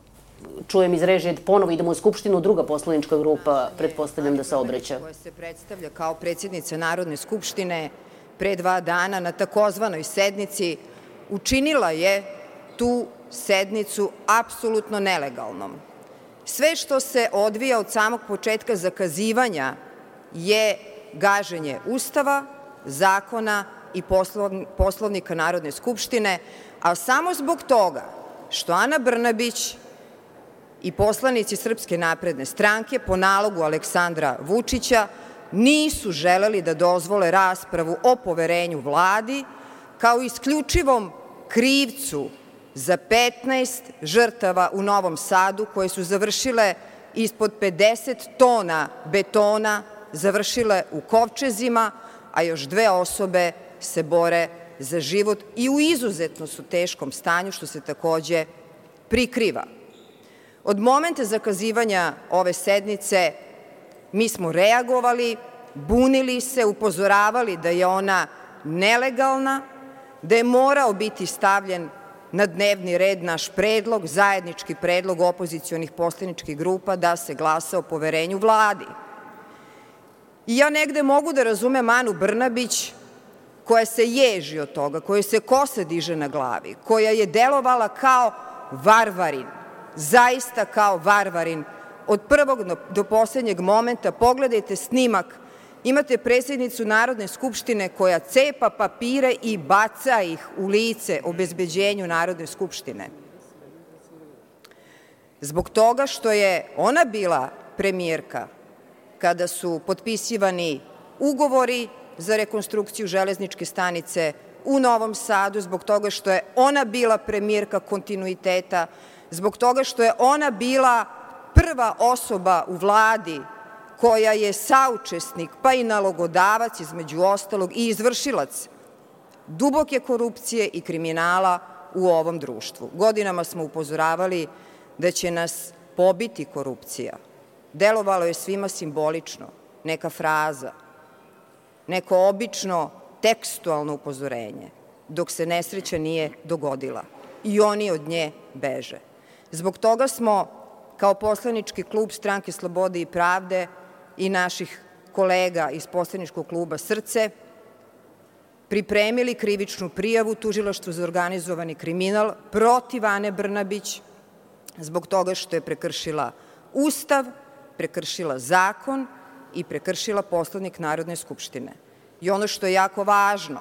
čujem iz režije, ponovo idemo u Skupštinu, druga poslanička grupa, pretpostavljam da se obraća.
Koja se predstavlja kao predsjednica Narodne skupštine pre dva dana na takozvanoj sednici, učinila je tu sednicu apsolutno nelegalnom. Sve što se odvija od samog početka zakazivanja je gaženje Ustava, zakona i Poslovnika Narodne skupštine, a samo zbog toga što Ana Brnabić i poslanici Srpske napredne stranke po nalogu Aleksandra Vučića nisu želeli da dozvole raspravu o poverenju Vladi kao isključivom krivcu za petnaest žrtava u Novom Sadu koje su završile ispod pedeset tona betona, završile u kovčezima, a još dve osobe se bore za život i u izuzetno su teškom stanju, što se takođe prikriva. Od momenta zakazivanja ove sednice mi smo reagovali, bunili se, upozoravali da je ona nelegalna, da je morao biti stavljen na dnevni red naš predlog, zajednički predlog opozicionih poslaničkih grupa da se glasa o poverenju Vladi. I ja negde mogu da razumem Anu Brnabić koja se ježi od toga, koja se kosa diže na glavi, koja je delovala kao varvarin, zaista kao varvarin od prvog do poslednjeg momenta. Pogledajte snimak, imate predsjednicu Narodne skupštine koja cepa papire i baca ih u lice obezbeđenju Narodne skupštine. Zbog toga što je ona bila premijerka kada su potpisivani ugovori za rekonstrukciju železničke stanice u Novom Sadu, zbog toga što je ona bila premijerka kontinuiteta, zbog toga što je ona bila prva osoba u Vladi koja je saučesnik, pa i nalogodavac, između ostalog, i izvršilac duboke korupcije i kriminala u ovom društvu. Godinama smo upozoravali da će nas pobiti korupcija. Delovalo je svima simbolično, neka fraza, neko obično tekstualno upozorenje, dok se nesreća nije dogodila i oni od nje beže. Zbog toga smo, kao poslanički klub Stranke slobode i pravde i naših kolega iz poslaničkog kluba Srce, pripremili krivičnu prijavu Tužilaštvu za organizovani kriminal protiv Ane Brnabić, zbog toga što je prekršila Ustav, prekršila zakon i prekršila Poslovnik Narodne skupštine. I ono što je jako važno,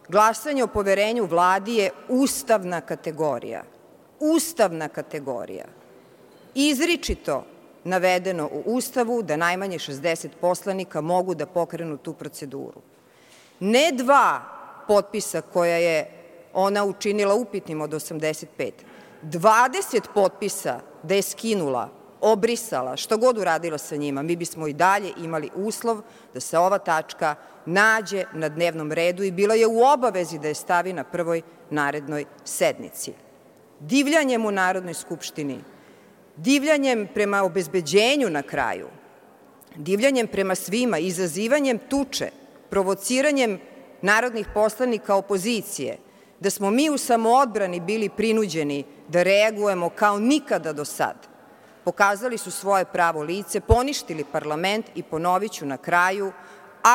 glasanje o poverenju Vladi je ustavna kategorija. Ustavna kategorija. Izričito navedeno u Ustavu da najmanje šezdeset poslanika mogu da pokrenu tu proceduru. Ne dva potpisa koja je ona učinila upitnim od osamdeset pet, dvadeset potpisa da je skinula, obrisala, što god uradila sa njima, mi bismo i dalje imali uslov da se ova tačka nađe na dnevnom redu i bila je u obavezi da je stavi na prvoj narednoj sednici. Divljanjem u Narodnoj skupštini, divljanjem prema obezbeđenju na kraju, divljanjem prema svima, izazivanjem tuče, provociranjem narodnih poslanika opozicije, da smo mi u samoodbrani bili prinuđeni da reagujemo kao nikada do sad, pokazali su svoje pravo lice, poništili parlament i, ponovit ću na kraju,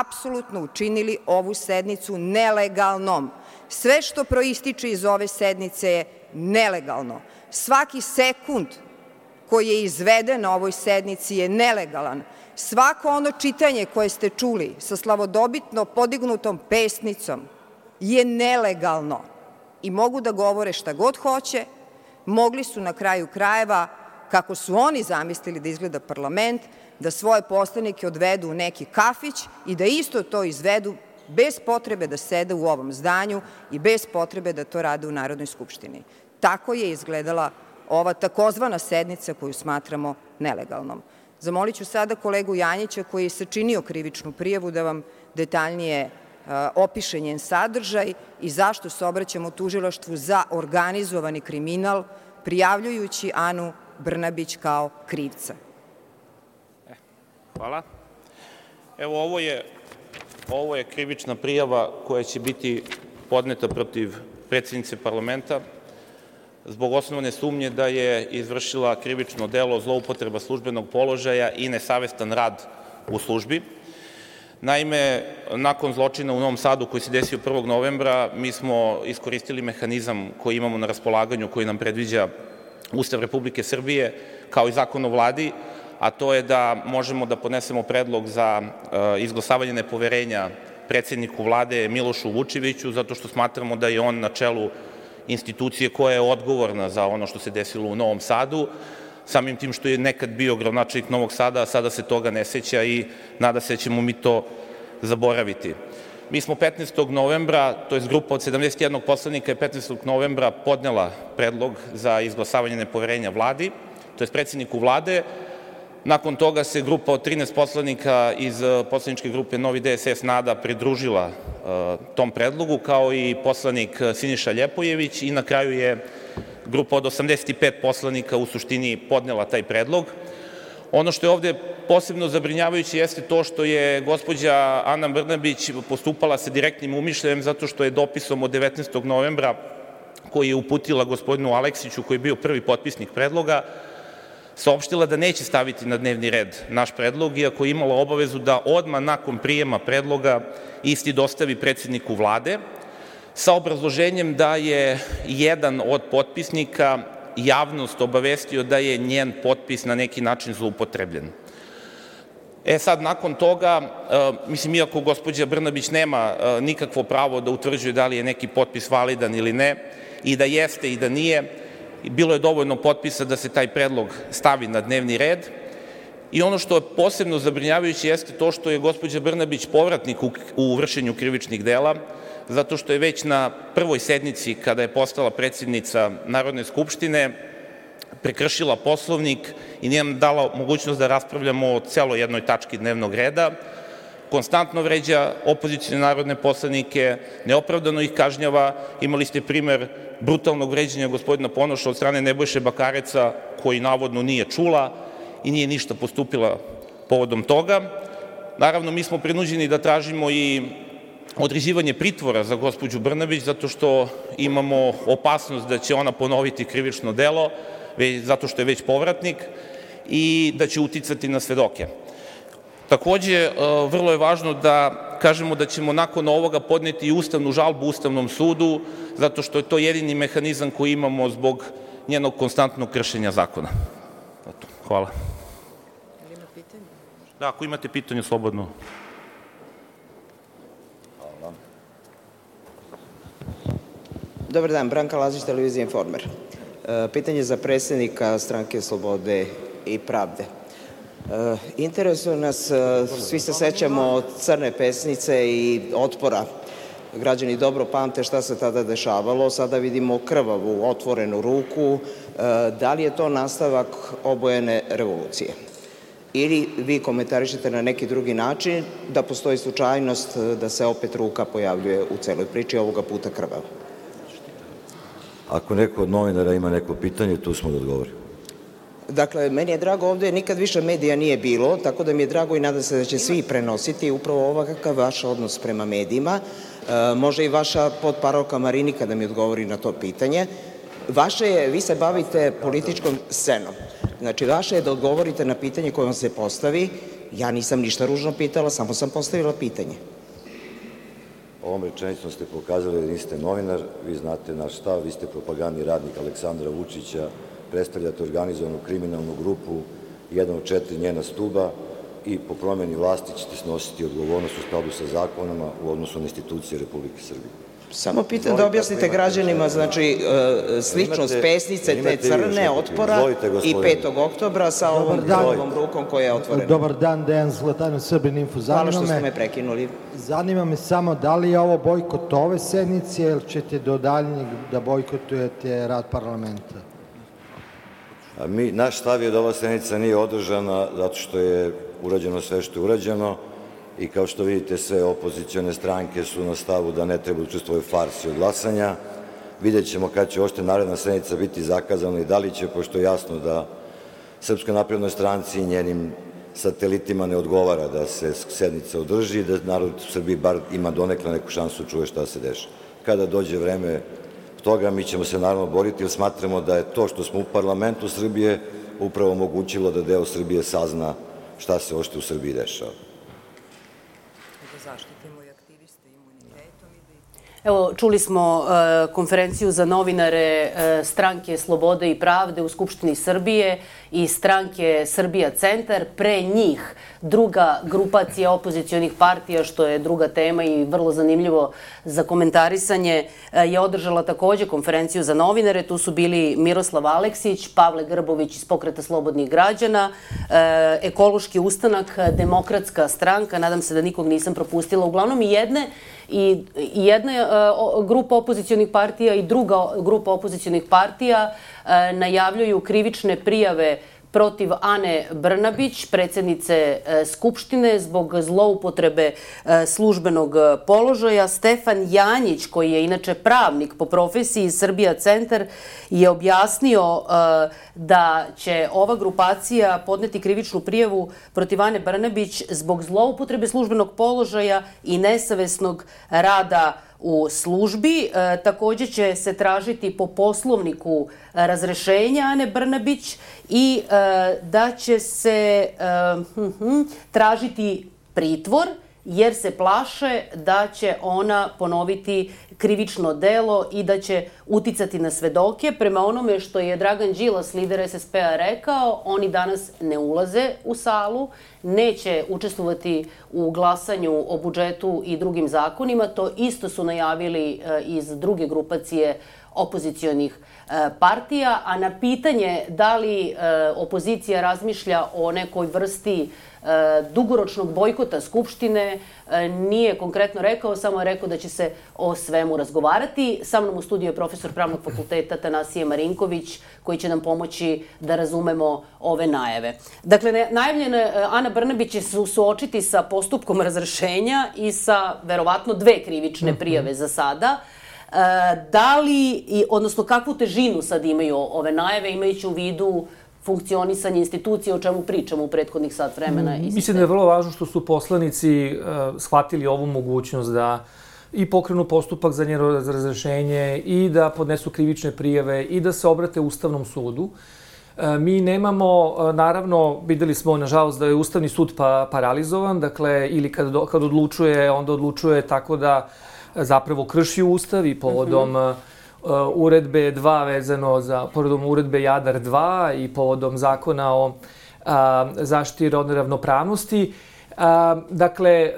apsolutno učinili ovu sednicu nelegalnom. Sve što proističe iz ove sednice je nelegalno. Svaki sekund koji je izveden na ovoj sednici je nelegalan. Svako ono čitanje koje ste čuli sa slavodobitno podignutom pesnicom je nelegalno i mogu da govore šta god hoće, mogli su na kraju krajeva, kako su oni zamislili da izgleda parlament, da svoje poslanike odvedu u neki kafić i da isto to izvedu bez potrebe da sede u ovom zdanju i bez potrebe da to rade u Narodnoj skupštini. Tako je izgledala ova takozvana sednica koju smatramo nelegalnom. Zamolit ću sada kolegu Janjića, koji je sačinio krivičnu prijavu, da vam detaljnije opiše njen sadržaj i zašto se obraćamo Tužilaštvu za organizovani kriminal, prijavljujući Anu Brnabić kao krivca.
Hvala. Evo, ovo je, ovo je krivična prijava koja će biti podneta protiv predsjednice parlamenta zbog osnovne sumnje da je izvršila krivično delo zloupotreba službenog položaja i nesavestan rad u službi. Naime, nakon zločina u Novom Sadu koji se desio prvog novembra, mi smo iskoristili mehanizam koji imamo na raspolaganju, koji nam predviđa Ustav Republike Srbije, kao i Zakon o Vladi, a to je da možemo da podnesemo predlog za izglasavanje nepoverenja predsjedniku Vlade Milošu Vučeviću, zato što smatramo da je on na čelu institucije koja je odgovorna za ono što se desilo u Novom Sadu, samim tim što je nekad bio gradonačelnik Novog Sada, a sada se toga ne seća i nada se da ćemo mi to zaboraviti. Mi smo petnaestog novembra, to je grupa od sedamdeset jednog poslanika je petnaestog novembra podnela predlog za izglasavanje nepoverenja Vladi, to je predsjedniku Vlade. Nakon toga se grupa od trinaest poslanika iz poslaničke grupe Novi D S S NADA pridružila tom predlogu, kao i poslanik Siniša Ljepojević, i na kraju je grupa od osamdeset pet poslanika u suštini podnela taj predlog. Ono što je ovde posebno zabrinjavajuće jeste to što je gospođa Ana Brnabić postupala sa direktnim umišljajem, zato što je dopisom od devetnaestog novembra, koji je uputila gospodinu Aleksiću, koji je bio prvi potpisnik predloga, saopštila da neće staviti na dnevni red naš predlog, iako je imala obavezu da odmah nakon prijema predloga isti dostavi predsjedniku Vlade, sa obrazloženjem da je jedan od potpisnika javnost obavestio da je njen potpis na neki način zloupotrebljen. E sad, nakon toga, mislim, iako gospođa Brnabić nema nikakvo pravo da utvrđuje da li je neki potpis validan ili ne, i da jeste i da nije, bilo je dovoljno potpisa da se taj predlog stavi na dnevni red, I ono što je posebno zabrinjavajuće jeste to što je gospođa Brnabić povratnik u vršenju krivičnih dela, zato što je već na prvoj sednici, kada je postala predsednica Narodne skupštine, prekršila Poslovnik i nije nam dala mogućnost da raspravljamo o celoj jednoj tački dnevnog reda. Konstantno vređa opozicione narodne poslanike, neopravdano ih kažnjava. Imali ste primer brutalnog vređanja gospodina Ponoša od strane Nebojše Bakareca, koji navodno nije čula i nije ništa postupila povodom toga. Naravno, mi smo prinuđeni da tražimo i određivanje pritvora za gospođu Brnabić, zato što imamo opasnost da će ona ponoviti krivično delo, zato što je već povratnik, i da će uticati na svedoke. Takođe, vrlo je važno da kažemo da ćemo nakon ovoga podneti i ustavnu žalbu Ustavnom sudu, zato što je to jedini mehanizam koji imamo zbog njenog konstantnog kršenja zakona. Hvala. Da, ako imate pitanje, slobodno.
Dobar dan, Branka Lazić, Televizija Informer. Pitanje za predsednika Stranke slobode i pravde. Interesuje nas, svi se sećamo crne pesnice i otpora. Građani dobro pamte šta se tada dešavalo, sada vidimo krvavu, otvorenu ruku. Da li je to nastavak obojene revolucije? Ili vi komentarišete na neki drugi način da postoji slučajnost da se opet ruka pojavljuje u celoj priči, ovoga puta krvava?
Ako neko od novinara ima neko pitanje, tu smo da odgovorimo.
Dakle, meni je drago, ovde nikad više medija nije bilo, tako da mi je drago i nadam se da će svi prenositi upravo ovakav vaš odnos prema medijima. Može i vaša potparolka Marinika da mi odgovori na to pitanje. Vaše je, vi se bavite političkom scenom. Znači, vaše je da odgovorite na pitanje koje vam se postavi. Ja nisam ništa ružno pitala, samo sam postavila pitanje.
Ovom rečenicom ste pokazali da niste novinar, vi znate naš stav, vi ste propagandni radnik Aleksandra Vučića, predstavljate organizovanu kriminalnu grupu, jedan od četiri njena stuba i po promeni vlasti ćete snositi odgovornost u skladu sa zakonama u odnosu na institucije Republike Srbije.
Samo pitam da objasnite građanima, znači, sličnost pesnice, te crne, otpora i petog oktobra sa ovom krvavom rukom koja je otvorena.
Dobar dan, Dejan Zlatanov, Srbin Info.
Hvala što ste me prekinuli.
Zanima me samo da li je ovo bojkot ove sednice ili ćete do daljnjeg da bojkotujete rad parlamenta?
Naš stav je da ova sednica nije održana zato što je urađeno sve što je urađeno i kao što vidite sve opozicione stranke su na stavu da ne treba učestvovati u farsi od glasanja. Vidjet ćemo kada će ošte naredna sednica biti zakazana i da li će, pošto je jasno da Srpskoj naprednoj stranci i njenim satelitima ne odgovara da se sednica održi i da narod u Srbiji bar ima donekle neku šansu čuje šta se dešava. Kada dođe vreme toga, mi ćemo se naravno boriti jer smatramo da je to što smo u parlamentu Srbije upravo omogućilo da deo Srbije sazna šta se ošte u Srbiji dešava.
Evo, čuli smo konferenciju za novinare Stranke slobode i pravde u Skupštini Srbije i Stranke Srbija centar. Pre njih druga grupacija opozicionih partija, što je druga tema i vrlo zanimljivo za komentarisanje, je održala takođe konferenciju za novinare. Tu su bili Miroslav Aleksić, Pavle Grbović iz Pokreta slobodnih građana, Ekološki ustanak, Demokratska stranka, nadam se da nikog nisam propustila, uglavnom i jedne i jedna grupa opozicionih partija i druga grupa opozicionih partija najavljuju krivične prijave protiv Ane Brnabić, predsednice Skupštine, zbog zloupotrebe službenog položaja. Stefan Janjić, koji je inače pravnik po profesiji Srbija centar, je objasnio da će ova grupacija podneti krivičnu prijavu protiv Ane Brnabić zbog zloupotrebe službenog položaja i nesavesnog rada u službi. Takođe će se tražiti po Poslovniku razrešenja Ane Brnabić i da će se tražiti pritvor jer se plaše da će ona ponoviti krivično delo i da će uticati na svedoke. Prema onome što je Dragan Đilas, lider es es pe-a, rekao, oni danas ne ulaze u salu, neće učestvovati u glasanju o budžetu i drugim zakonima. To isto su najavili iz druge grupacije opozicionih partija, a na pitanje da li opozicija razmišlja o nekoj vrsti dugoročnog bojkota Skupštine nije konkretno rekao, samo je rekao da će se o svemu razgovarati. Sa mnom u studiju je profesor Pravnog fakulteta Tanasije Marinković, koji će nam pomoći da razumemo ove najave. Dakle, najavljena Ana Brnabić će se suočiti sa postupkom razrešenja i sa verovatno dve krivične prijave za sada. Da li, odnosno kakvu težinu sad imaju ove najave, imajući u vidu funkcionisanje institucije, o čemu pričamo u prethodnih sat vremena?
Mislim da je vrlo važno što su poslanici shvatili ovu mogućnost da i pokrenu postupak za njeno razrešenje i da podnesu krivične prijave i da se obrate Ustavnom sudu. Mi nemamo, naravno, videli smo, nažalost, da je Ustavni sud paralizovan, dakle, ili kad odlučuje, onda odlučuje tako da zapravo krši Ustav i povodom uredbe dva vezano za, povodom uredbe Jadar dva i povodom zakona o zaštiti rodne ravnopravnosti. Dakle,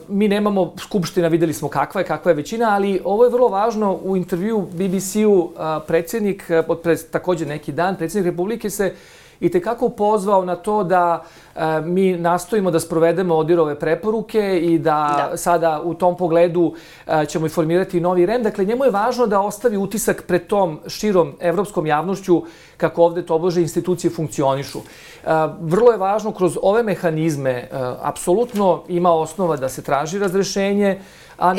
mi nemamo, Skupština, videli smo kakva je, kakva je većina, ali ovo je vrlo važno. U intervju be be ce-u predsjednik, takođe neki dan, predsjednik Republike se i tekako pozvao na to da mi nastojimo da sprovedemo ODIHR-ove preporuke i da sada u tom pogledu ćemo i formirati novi R E M. Dakle, njemu je važno da ostavi utisak pred tom širom evropskom javnošću kako ovde tobože institucije funkcionišu. Vrlo je važno kroz ove mehanizme, apsolutno ima osnova da se traži razrešenje.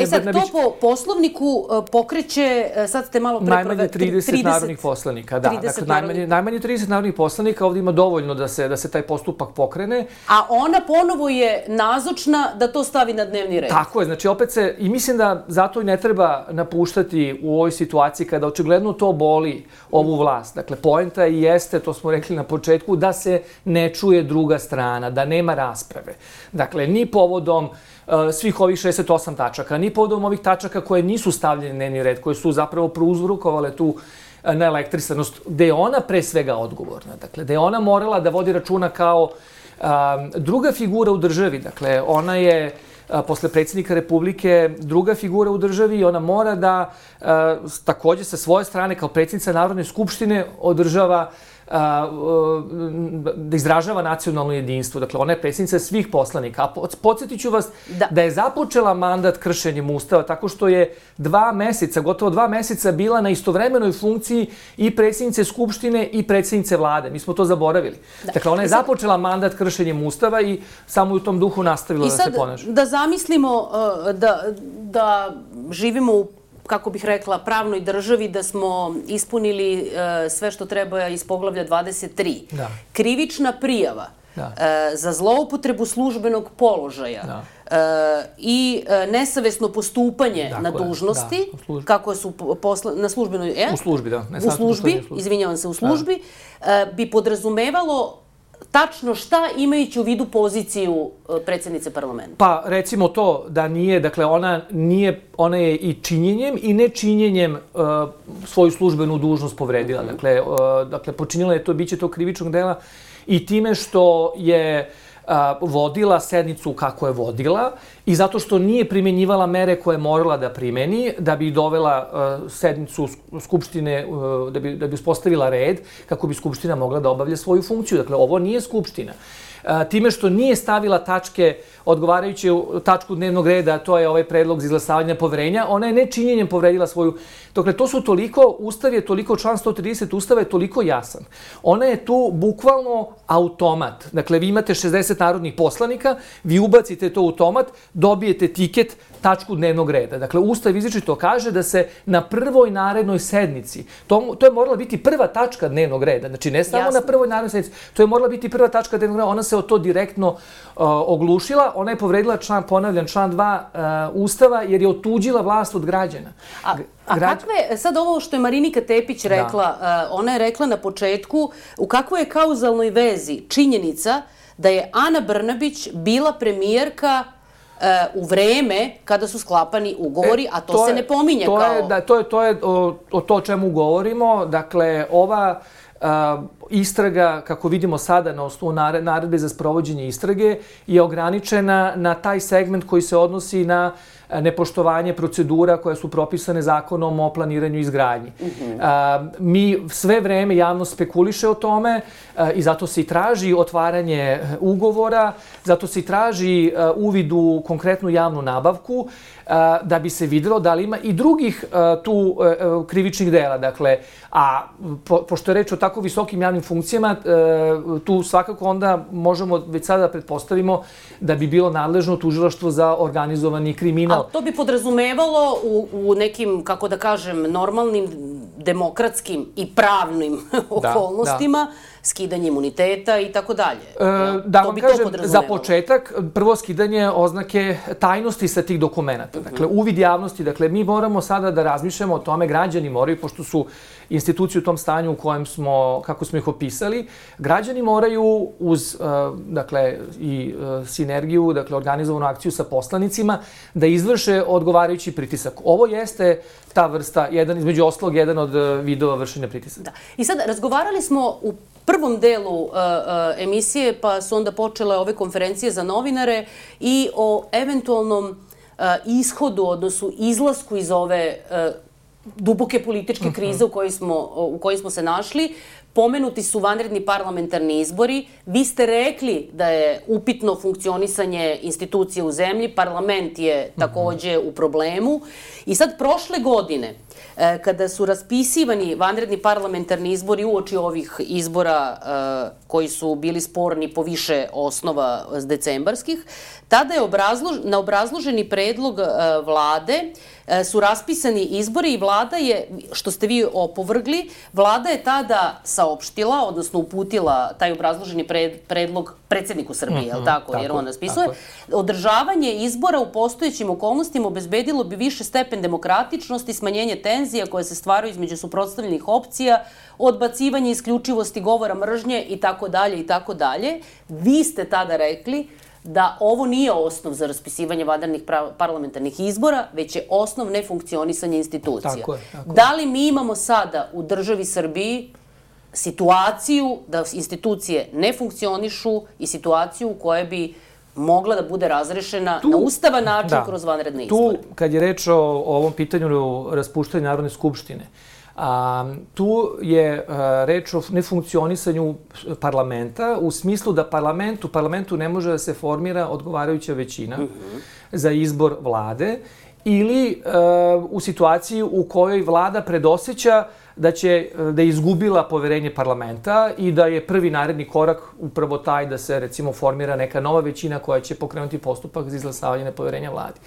E sad, to po poslovniku pokreće, sad ste malo pre...
Najmanje trideset narodnih poslanika, da. Dakle, najmanje trideset narodnih poslanika, ovdje ima dovoljno da se taj postupak pokrene.
A ona ponovo je nazočna da to stavi na dnevni red.
Tako je, znači opet se, i mislim da zato i ne treba napuštati u ovoj situaciji kada očigledno to boli ovu vlast. Dakle, poenta i jeste, to smo rekli na početku, da se ne čuje druga strana, da nema rasprave. Dakle, ni povodom svih ovih šezdeset osam tačaka, ni povodom ovih tačaka koje nisu stavljene na dnevni red, koje su zapravo prouzrokovale tu neelektrisanost, gde je ona pre svega odgovorna. Dakle, gde je ona morala da vodi računa kao druga figura u državi. Dakle, ona je posle predsjednika Republike druga figura u državi i ona mora da takođe sa svoje strane kao predsjednica Narodne skupštine održava da izražava nacionalno jedinstvo. Dakle, ona je predsjednica svih poslanika. A podsjetit ću vas da je započela mandat kršenjem Ustava tako što je dva meseca, gotovo dva meseca bila na istovremenoj funkciji i predsjednice Skupštine i predsjednice vlade. Mi smo to zaboravili. Dakle, ona je započela mandat kršenjem Ustava i samo u tom duhu nastavila da se ponaša.
I sad da zamislimo da živimo u, kako bih rekla, pravnoj državi, da smo ispunili sve što treba iz poglavlja dvadeset tri. Krivična prijava za zloupotrebu službenog položaja i nesavesno postupanje na dužnosti, kako su na službenoj...
U službi, da.
U službi, izvinjavam se, u službi, bi podrazumevalo tačno šta, imajući u vidu poziciju predsjednice parlamenta?
Pa, recimo to da nije, dakle, ona nije, ona je i činjenjem i nečinjenjem svoju službenu dužnost povredila. Dakle, dakle, počinila je to, bit će to krivičnog dela i time što je vodila sednicu kako je vodila i zato što nije primjenjivala mere koje je morala da primeni da bi dovela sednicu Skupštine, da bi, da bi uspostavila red kako bi Skupština mogla da obavlja svoju funkciju. Dakle, ovo nije Skupština. Time što nije stavila tačke, odgovarajući tačku dnevnog reda, to je ovaj predlog za izglasavanje poverenja, ona je nečinjenjem povredila svoju... Dakle, to su toliko, Ustav je toliko, član sto trideset Ustava je toliko jasan. Ona je tu bukvalno automat. Dakle, vi imate šezdeset narodnih poslanika, vi ubacite to u automat, dobijete tiket, tačku dnevnog reda. Dakle, Ustav izričito kaže da se na prvoj narednoj sednici, to, to je morala biti prva tačka dnevnog reda, znači ne samo na prvoj narednoj sednici, to je morala biti prva tačka dnevnog reda, ona se o to direktno uh, oglušila, ona je povredila član, ponavljam, član dva uh, Ustava jer je otuđila vlast od građana.
A, a kakve, sad ovo što je Marinika Tepić rekla, uh, ona je rekla na početku, u kakvoj je kauzalnoj vezi činjenica da je Ana Brnabić bila premijerka u vreme kada su sklapani ugovori, a to se ne pominje kao...
To je o to o čemu govorimo. Dakle, ova istraga, kako vidimo sada na osnovu naredbe za sprovođenje istrage, je ograničena na taj segment koji se odnosi na nepoštovanje procedura koje su propisane zakonom o planiranju i izgradnji. Mi sve vreme javno spekuliše o tome i zato se i traži otvaranje ugovora, zato se i traži uvid u konkretnu javnu nabavku, da bi se videlo da li ima i drugih tu krivičnih dela. Dakle, a pošto je reč o tako visokim javnim funkcijama, tu svakako onda možemo već sada da pretpostavimo da bi bilo nadležno tužilaštvo za organizovani kriminal.
A to bi podrazumevalo u nekim, kako da kažem, normalnim, demokratskim i pravnim okolnostima, skidanje imuniteta i tako dalje.
Da vam kažem, za početak, prvo skidanje oznake tajnosti sa tih dokumenta. Dakle, uvid javnosti. Dakle, mi moramo sada da razmišljamo o tome, građani moraju, pošto su institucije u tom stanju u kojem smo, kako smo ih opisali, građani moraju uz, dakle, i sinergiju, dakle, organizovanu akciju sa poslanicima, da izvrše odgovarajući pritisak. Ovo jeste ta vrsta, jedan između ostalog, jedan od vidova vršenja pritisaka.
I sad, razgovarali smo u prvom delu emisije, pa su onda počele ove konferencije za novinare i o eventualnom ishodu, odnosu izlasku iz ove duboke političke krize u kojoj smo se našli. Pomenuti su vanredni parlamentarni izbori. Vi ste rekli da je upitno funkcionisanje institucije u zemlji. Parlament je takođe u problemu. I sad prošle godine, kada su raspisivani vanredni parlamentarni izbori uoči ovih izbora koji su bili sporni po više osnova decembarskih, tada je na obrazloženi predlog vlade su raspisani izbori i vlada je, što ste vi opovrgli, vlada je tada saopštila, odnosno uputila taj obrazloženi predlog predsjedniku Srbije, je li tako, jer on raspisuje, održavanje izbora u postojećim okolnostima obezbedilo bi više stepen demokratičnosti, smanjenje tenzija koje se stvaraju između suprotstavljenih opcija, odbacivanje isključivosti govora mržnje i tako dalje i tako dalje. Vi ste tada rekli da ovo nije osnov za raspisivanje vanrednih parlamentarnih izbora, već je osnov nefunkcionisanja institucija.
Tako je, tako je.
Da li mi imamo sada u državi Srbiji situaciju da institucije ne funkcionišu i situaciju u kojoj bi mogla da bude razrešena na ustavan način kroz vanredne izbore?
Tu, kad je reč o ovom pitanju raspuštanja Narodne skupštine, tu je reč o nefunkcionisanju parlamenta u smislu da u parlamentu ne može da se formira odgovarajuća većina za izbor vlade ili u situaciji u kojoj vlada predoseća da će, da je izgubila poverenje parlamenta i da je prvi naredni korak upravo taj da se, recimo, formira neka nova većina koja će pokrenuti postupak za izglasavanje nepoverenja vladi.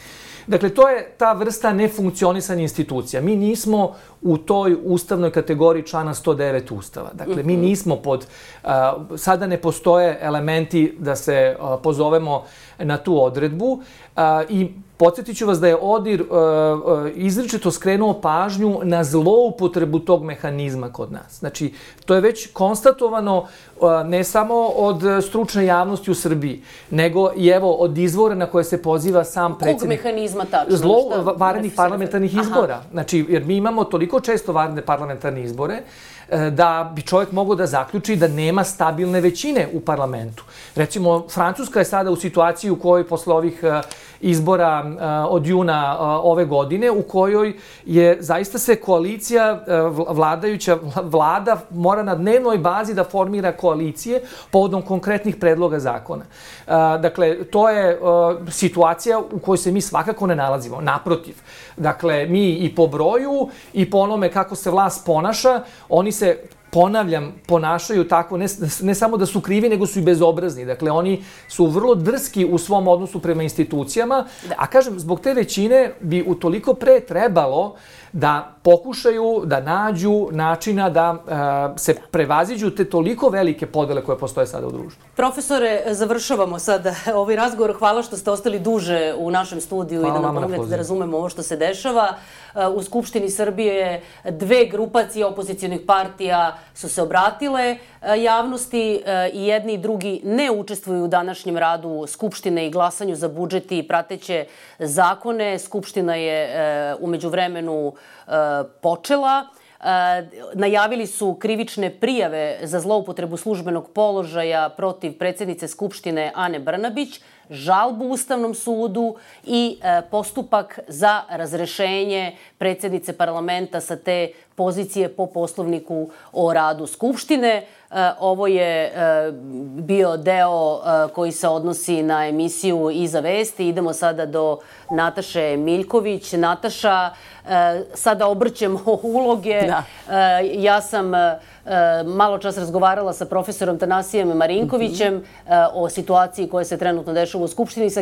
Dakle, to je ta vrsta nefunkcionisanja institucija. Mi nismo u toj ustavnoj kategoriji člana sto devet Ustava. Dakle, mi nismo pod... Sada ne postoje elementi da se pozovemo na tu odredbu i podsjetit ću vas da je ODIR izričito skrenuo pažnju na zloupotrebu tog mehanizma kod nas. Znači, to je već konstatovano ne samo od stručne javnosti u Srbiji, nego i evo od izvora na koje se poziva sam predsjednik.
Kog mehanizma tačno?
Zlo vanrednih parlamentarnih izbora. Znači, jer mi imamo toliko često vanredne parlamentarne izbore da bi čovjek mogao da zaključi da nema stabilne većine u parlamentu. Recimo, Francuska je sada u situaciji u kojoj posle ovih izbora od juna ove godine, u kojoj je zaista se koalicija, vladajuća vlada mora na dnevnoj bazi da formira koalicije povodom konkretnih predloga zakona. Dakle, to je situacija u kojoj se mi svakako ne nalazimo. Naprotiv. Dakle, mi i po broju i po onome kako se vlast ponaša, oni se, ponavljam, ponašaju tako, ne, ne samo da su krivi, nego su i bezobrazni. Dakle, oni su vrlo drski u svom odnosu prema institucijama, a kažem, zbog te većine bi utoliko pre trebalo da pokušaju da nađu načina da se prevaziđu te toliko velike podele koje postoje sada u društvu.
Profesore, završavamo sada ovaj razgovor. Hvala što ste ostali duže u našem studiju i da nam pomognete da razumemo ovo što se dešava. U Skupštini Srbije dve grupacije opozicijonih partija su se obratile javnosti i jedni i drugi ne učestvuju u današnjem radu Skupštine i glasanju za budžet i prateće zakone. Skupština je umeđu vremenu počela. Najavili su krivične prijave za zloupotrebu službenog položaja protiv predsjednice Skupštine Ane Brnabić, žalbu Ustavnom sudu i postupak za razrešenje predsjednice parlamenta sa te pozicije po poslovniku o radu Skupštine. Ovo je bio deo koji se odnosi na emisiju Iza vesti. Idemo sada do Nataše Miljković. Nataša, sada obrćemo uloge. Ja sam malo čas razgovarala sa profesorom Tanasijem Marinkovićem o situaciji koja se trenutno dešava u Skupštini, sa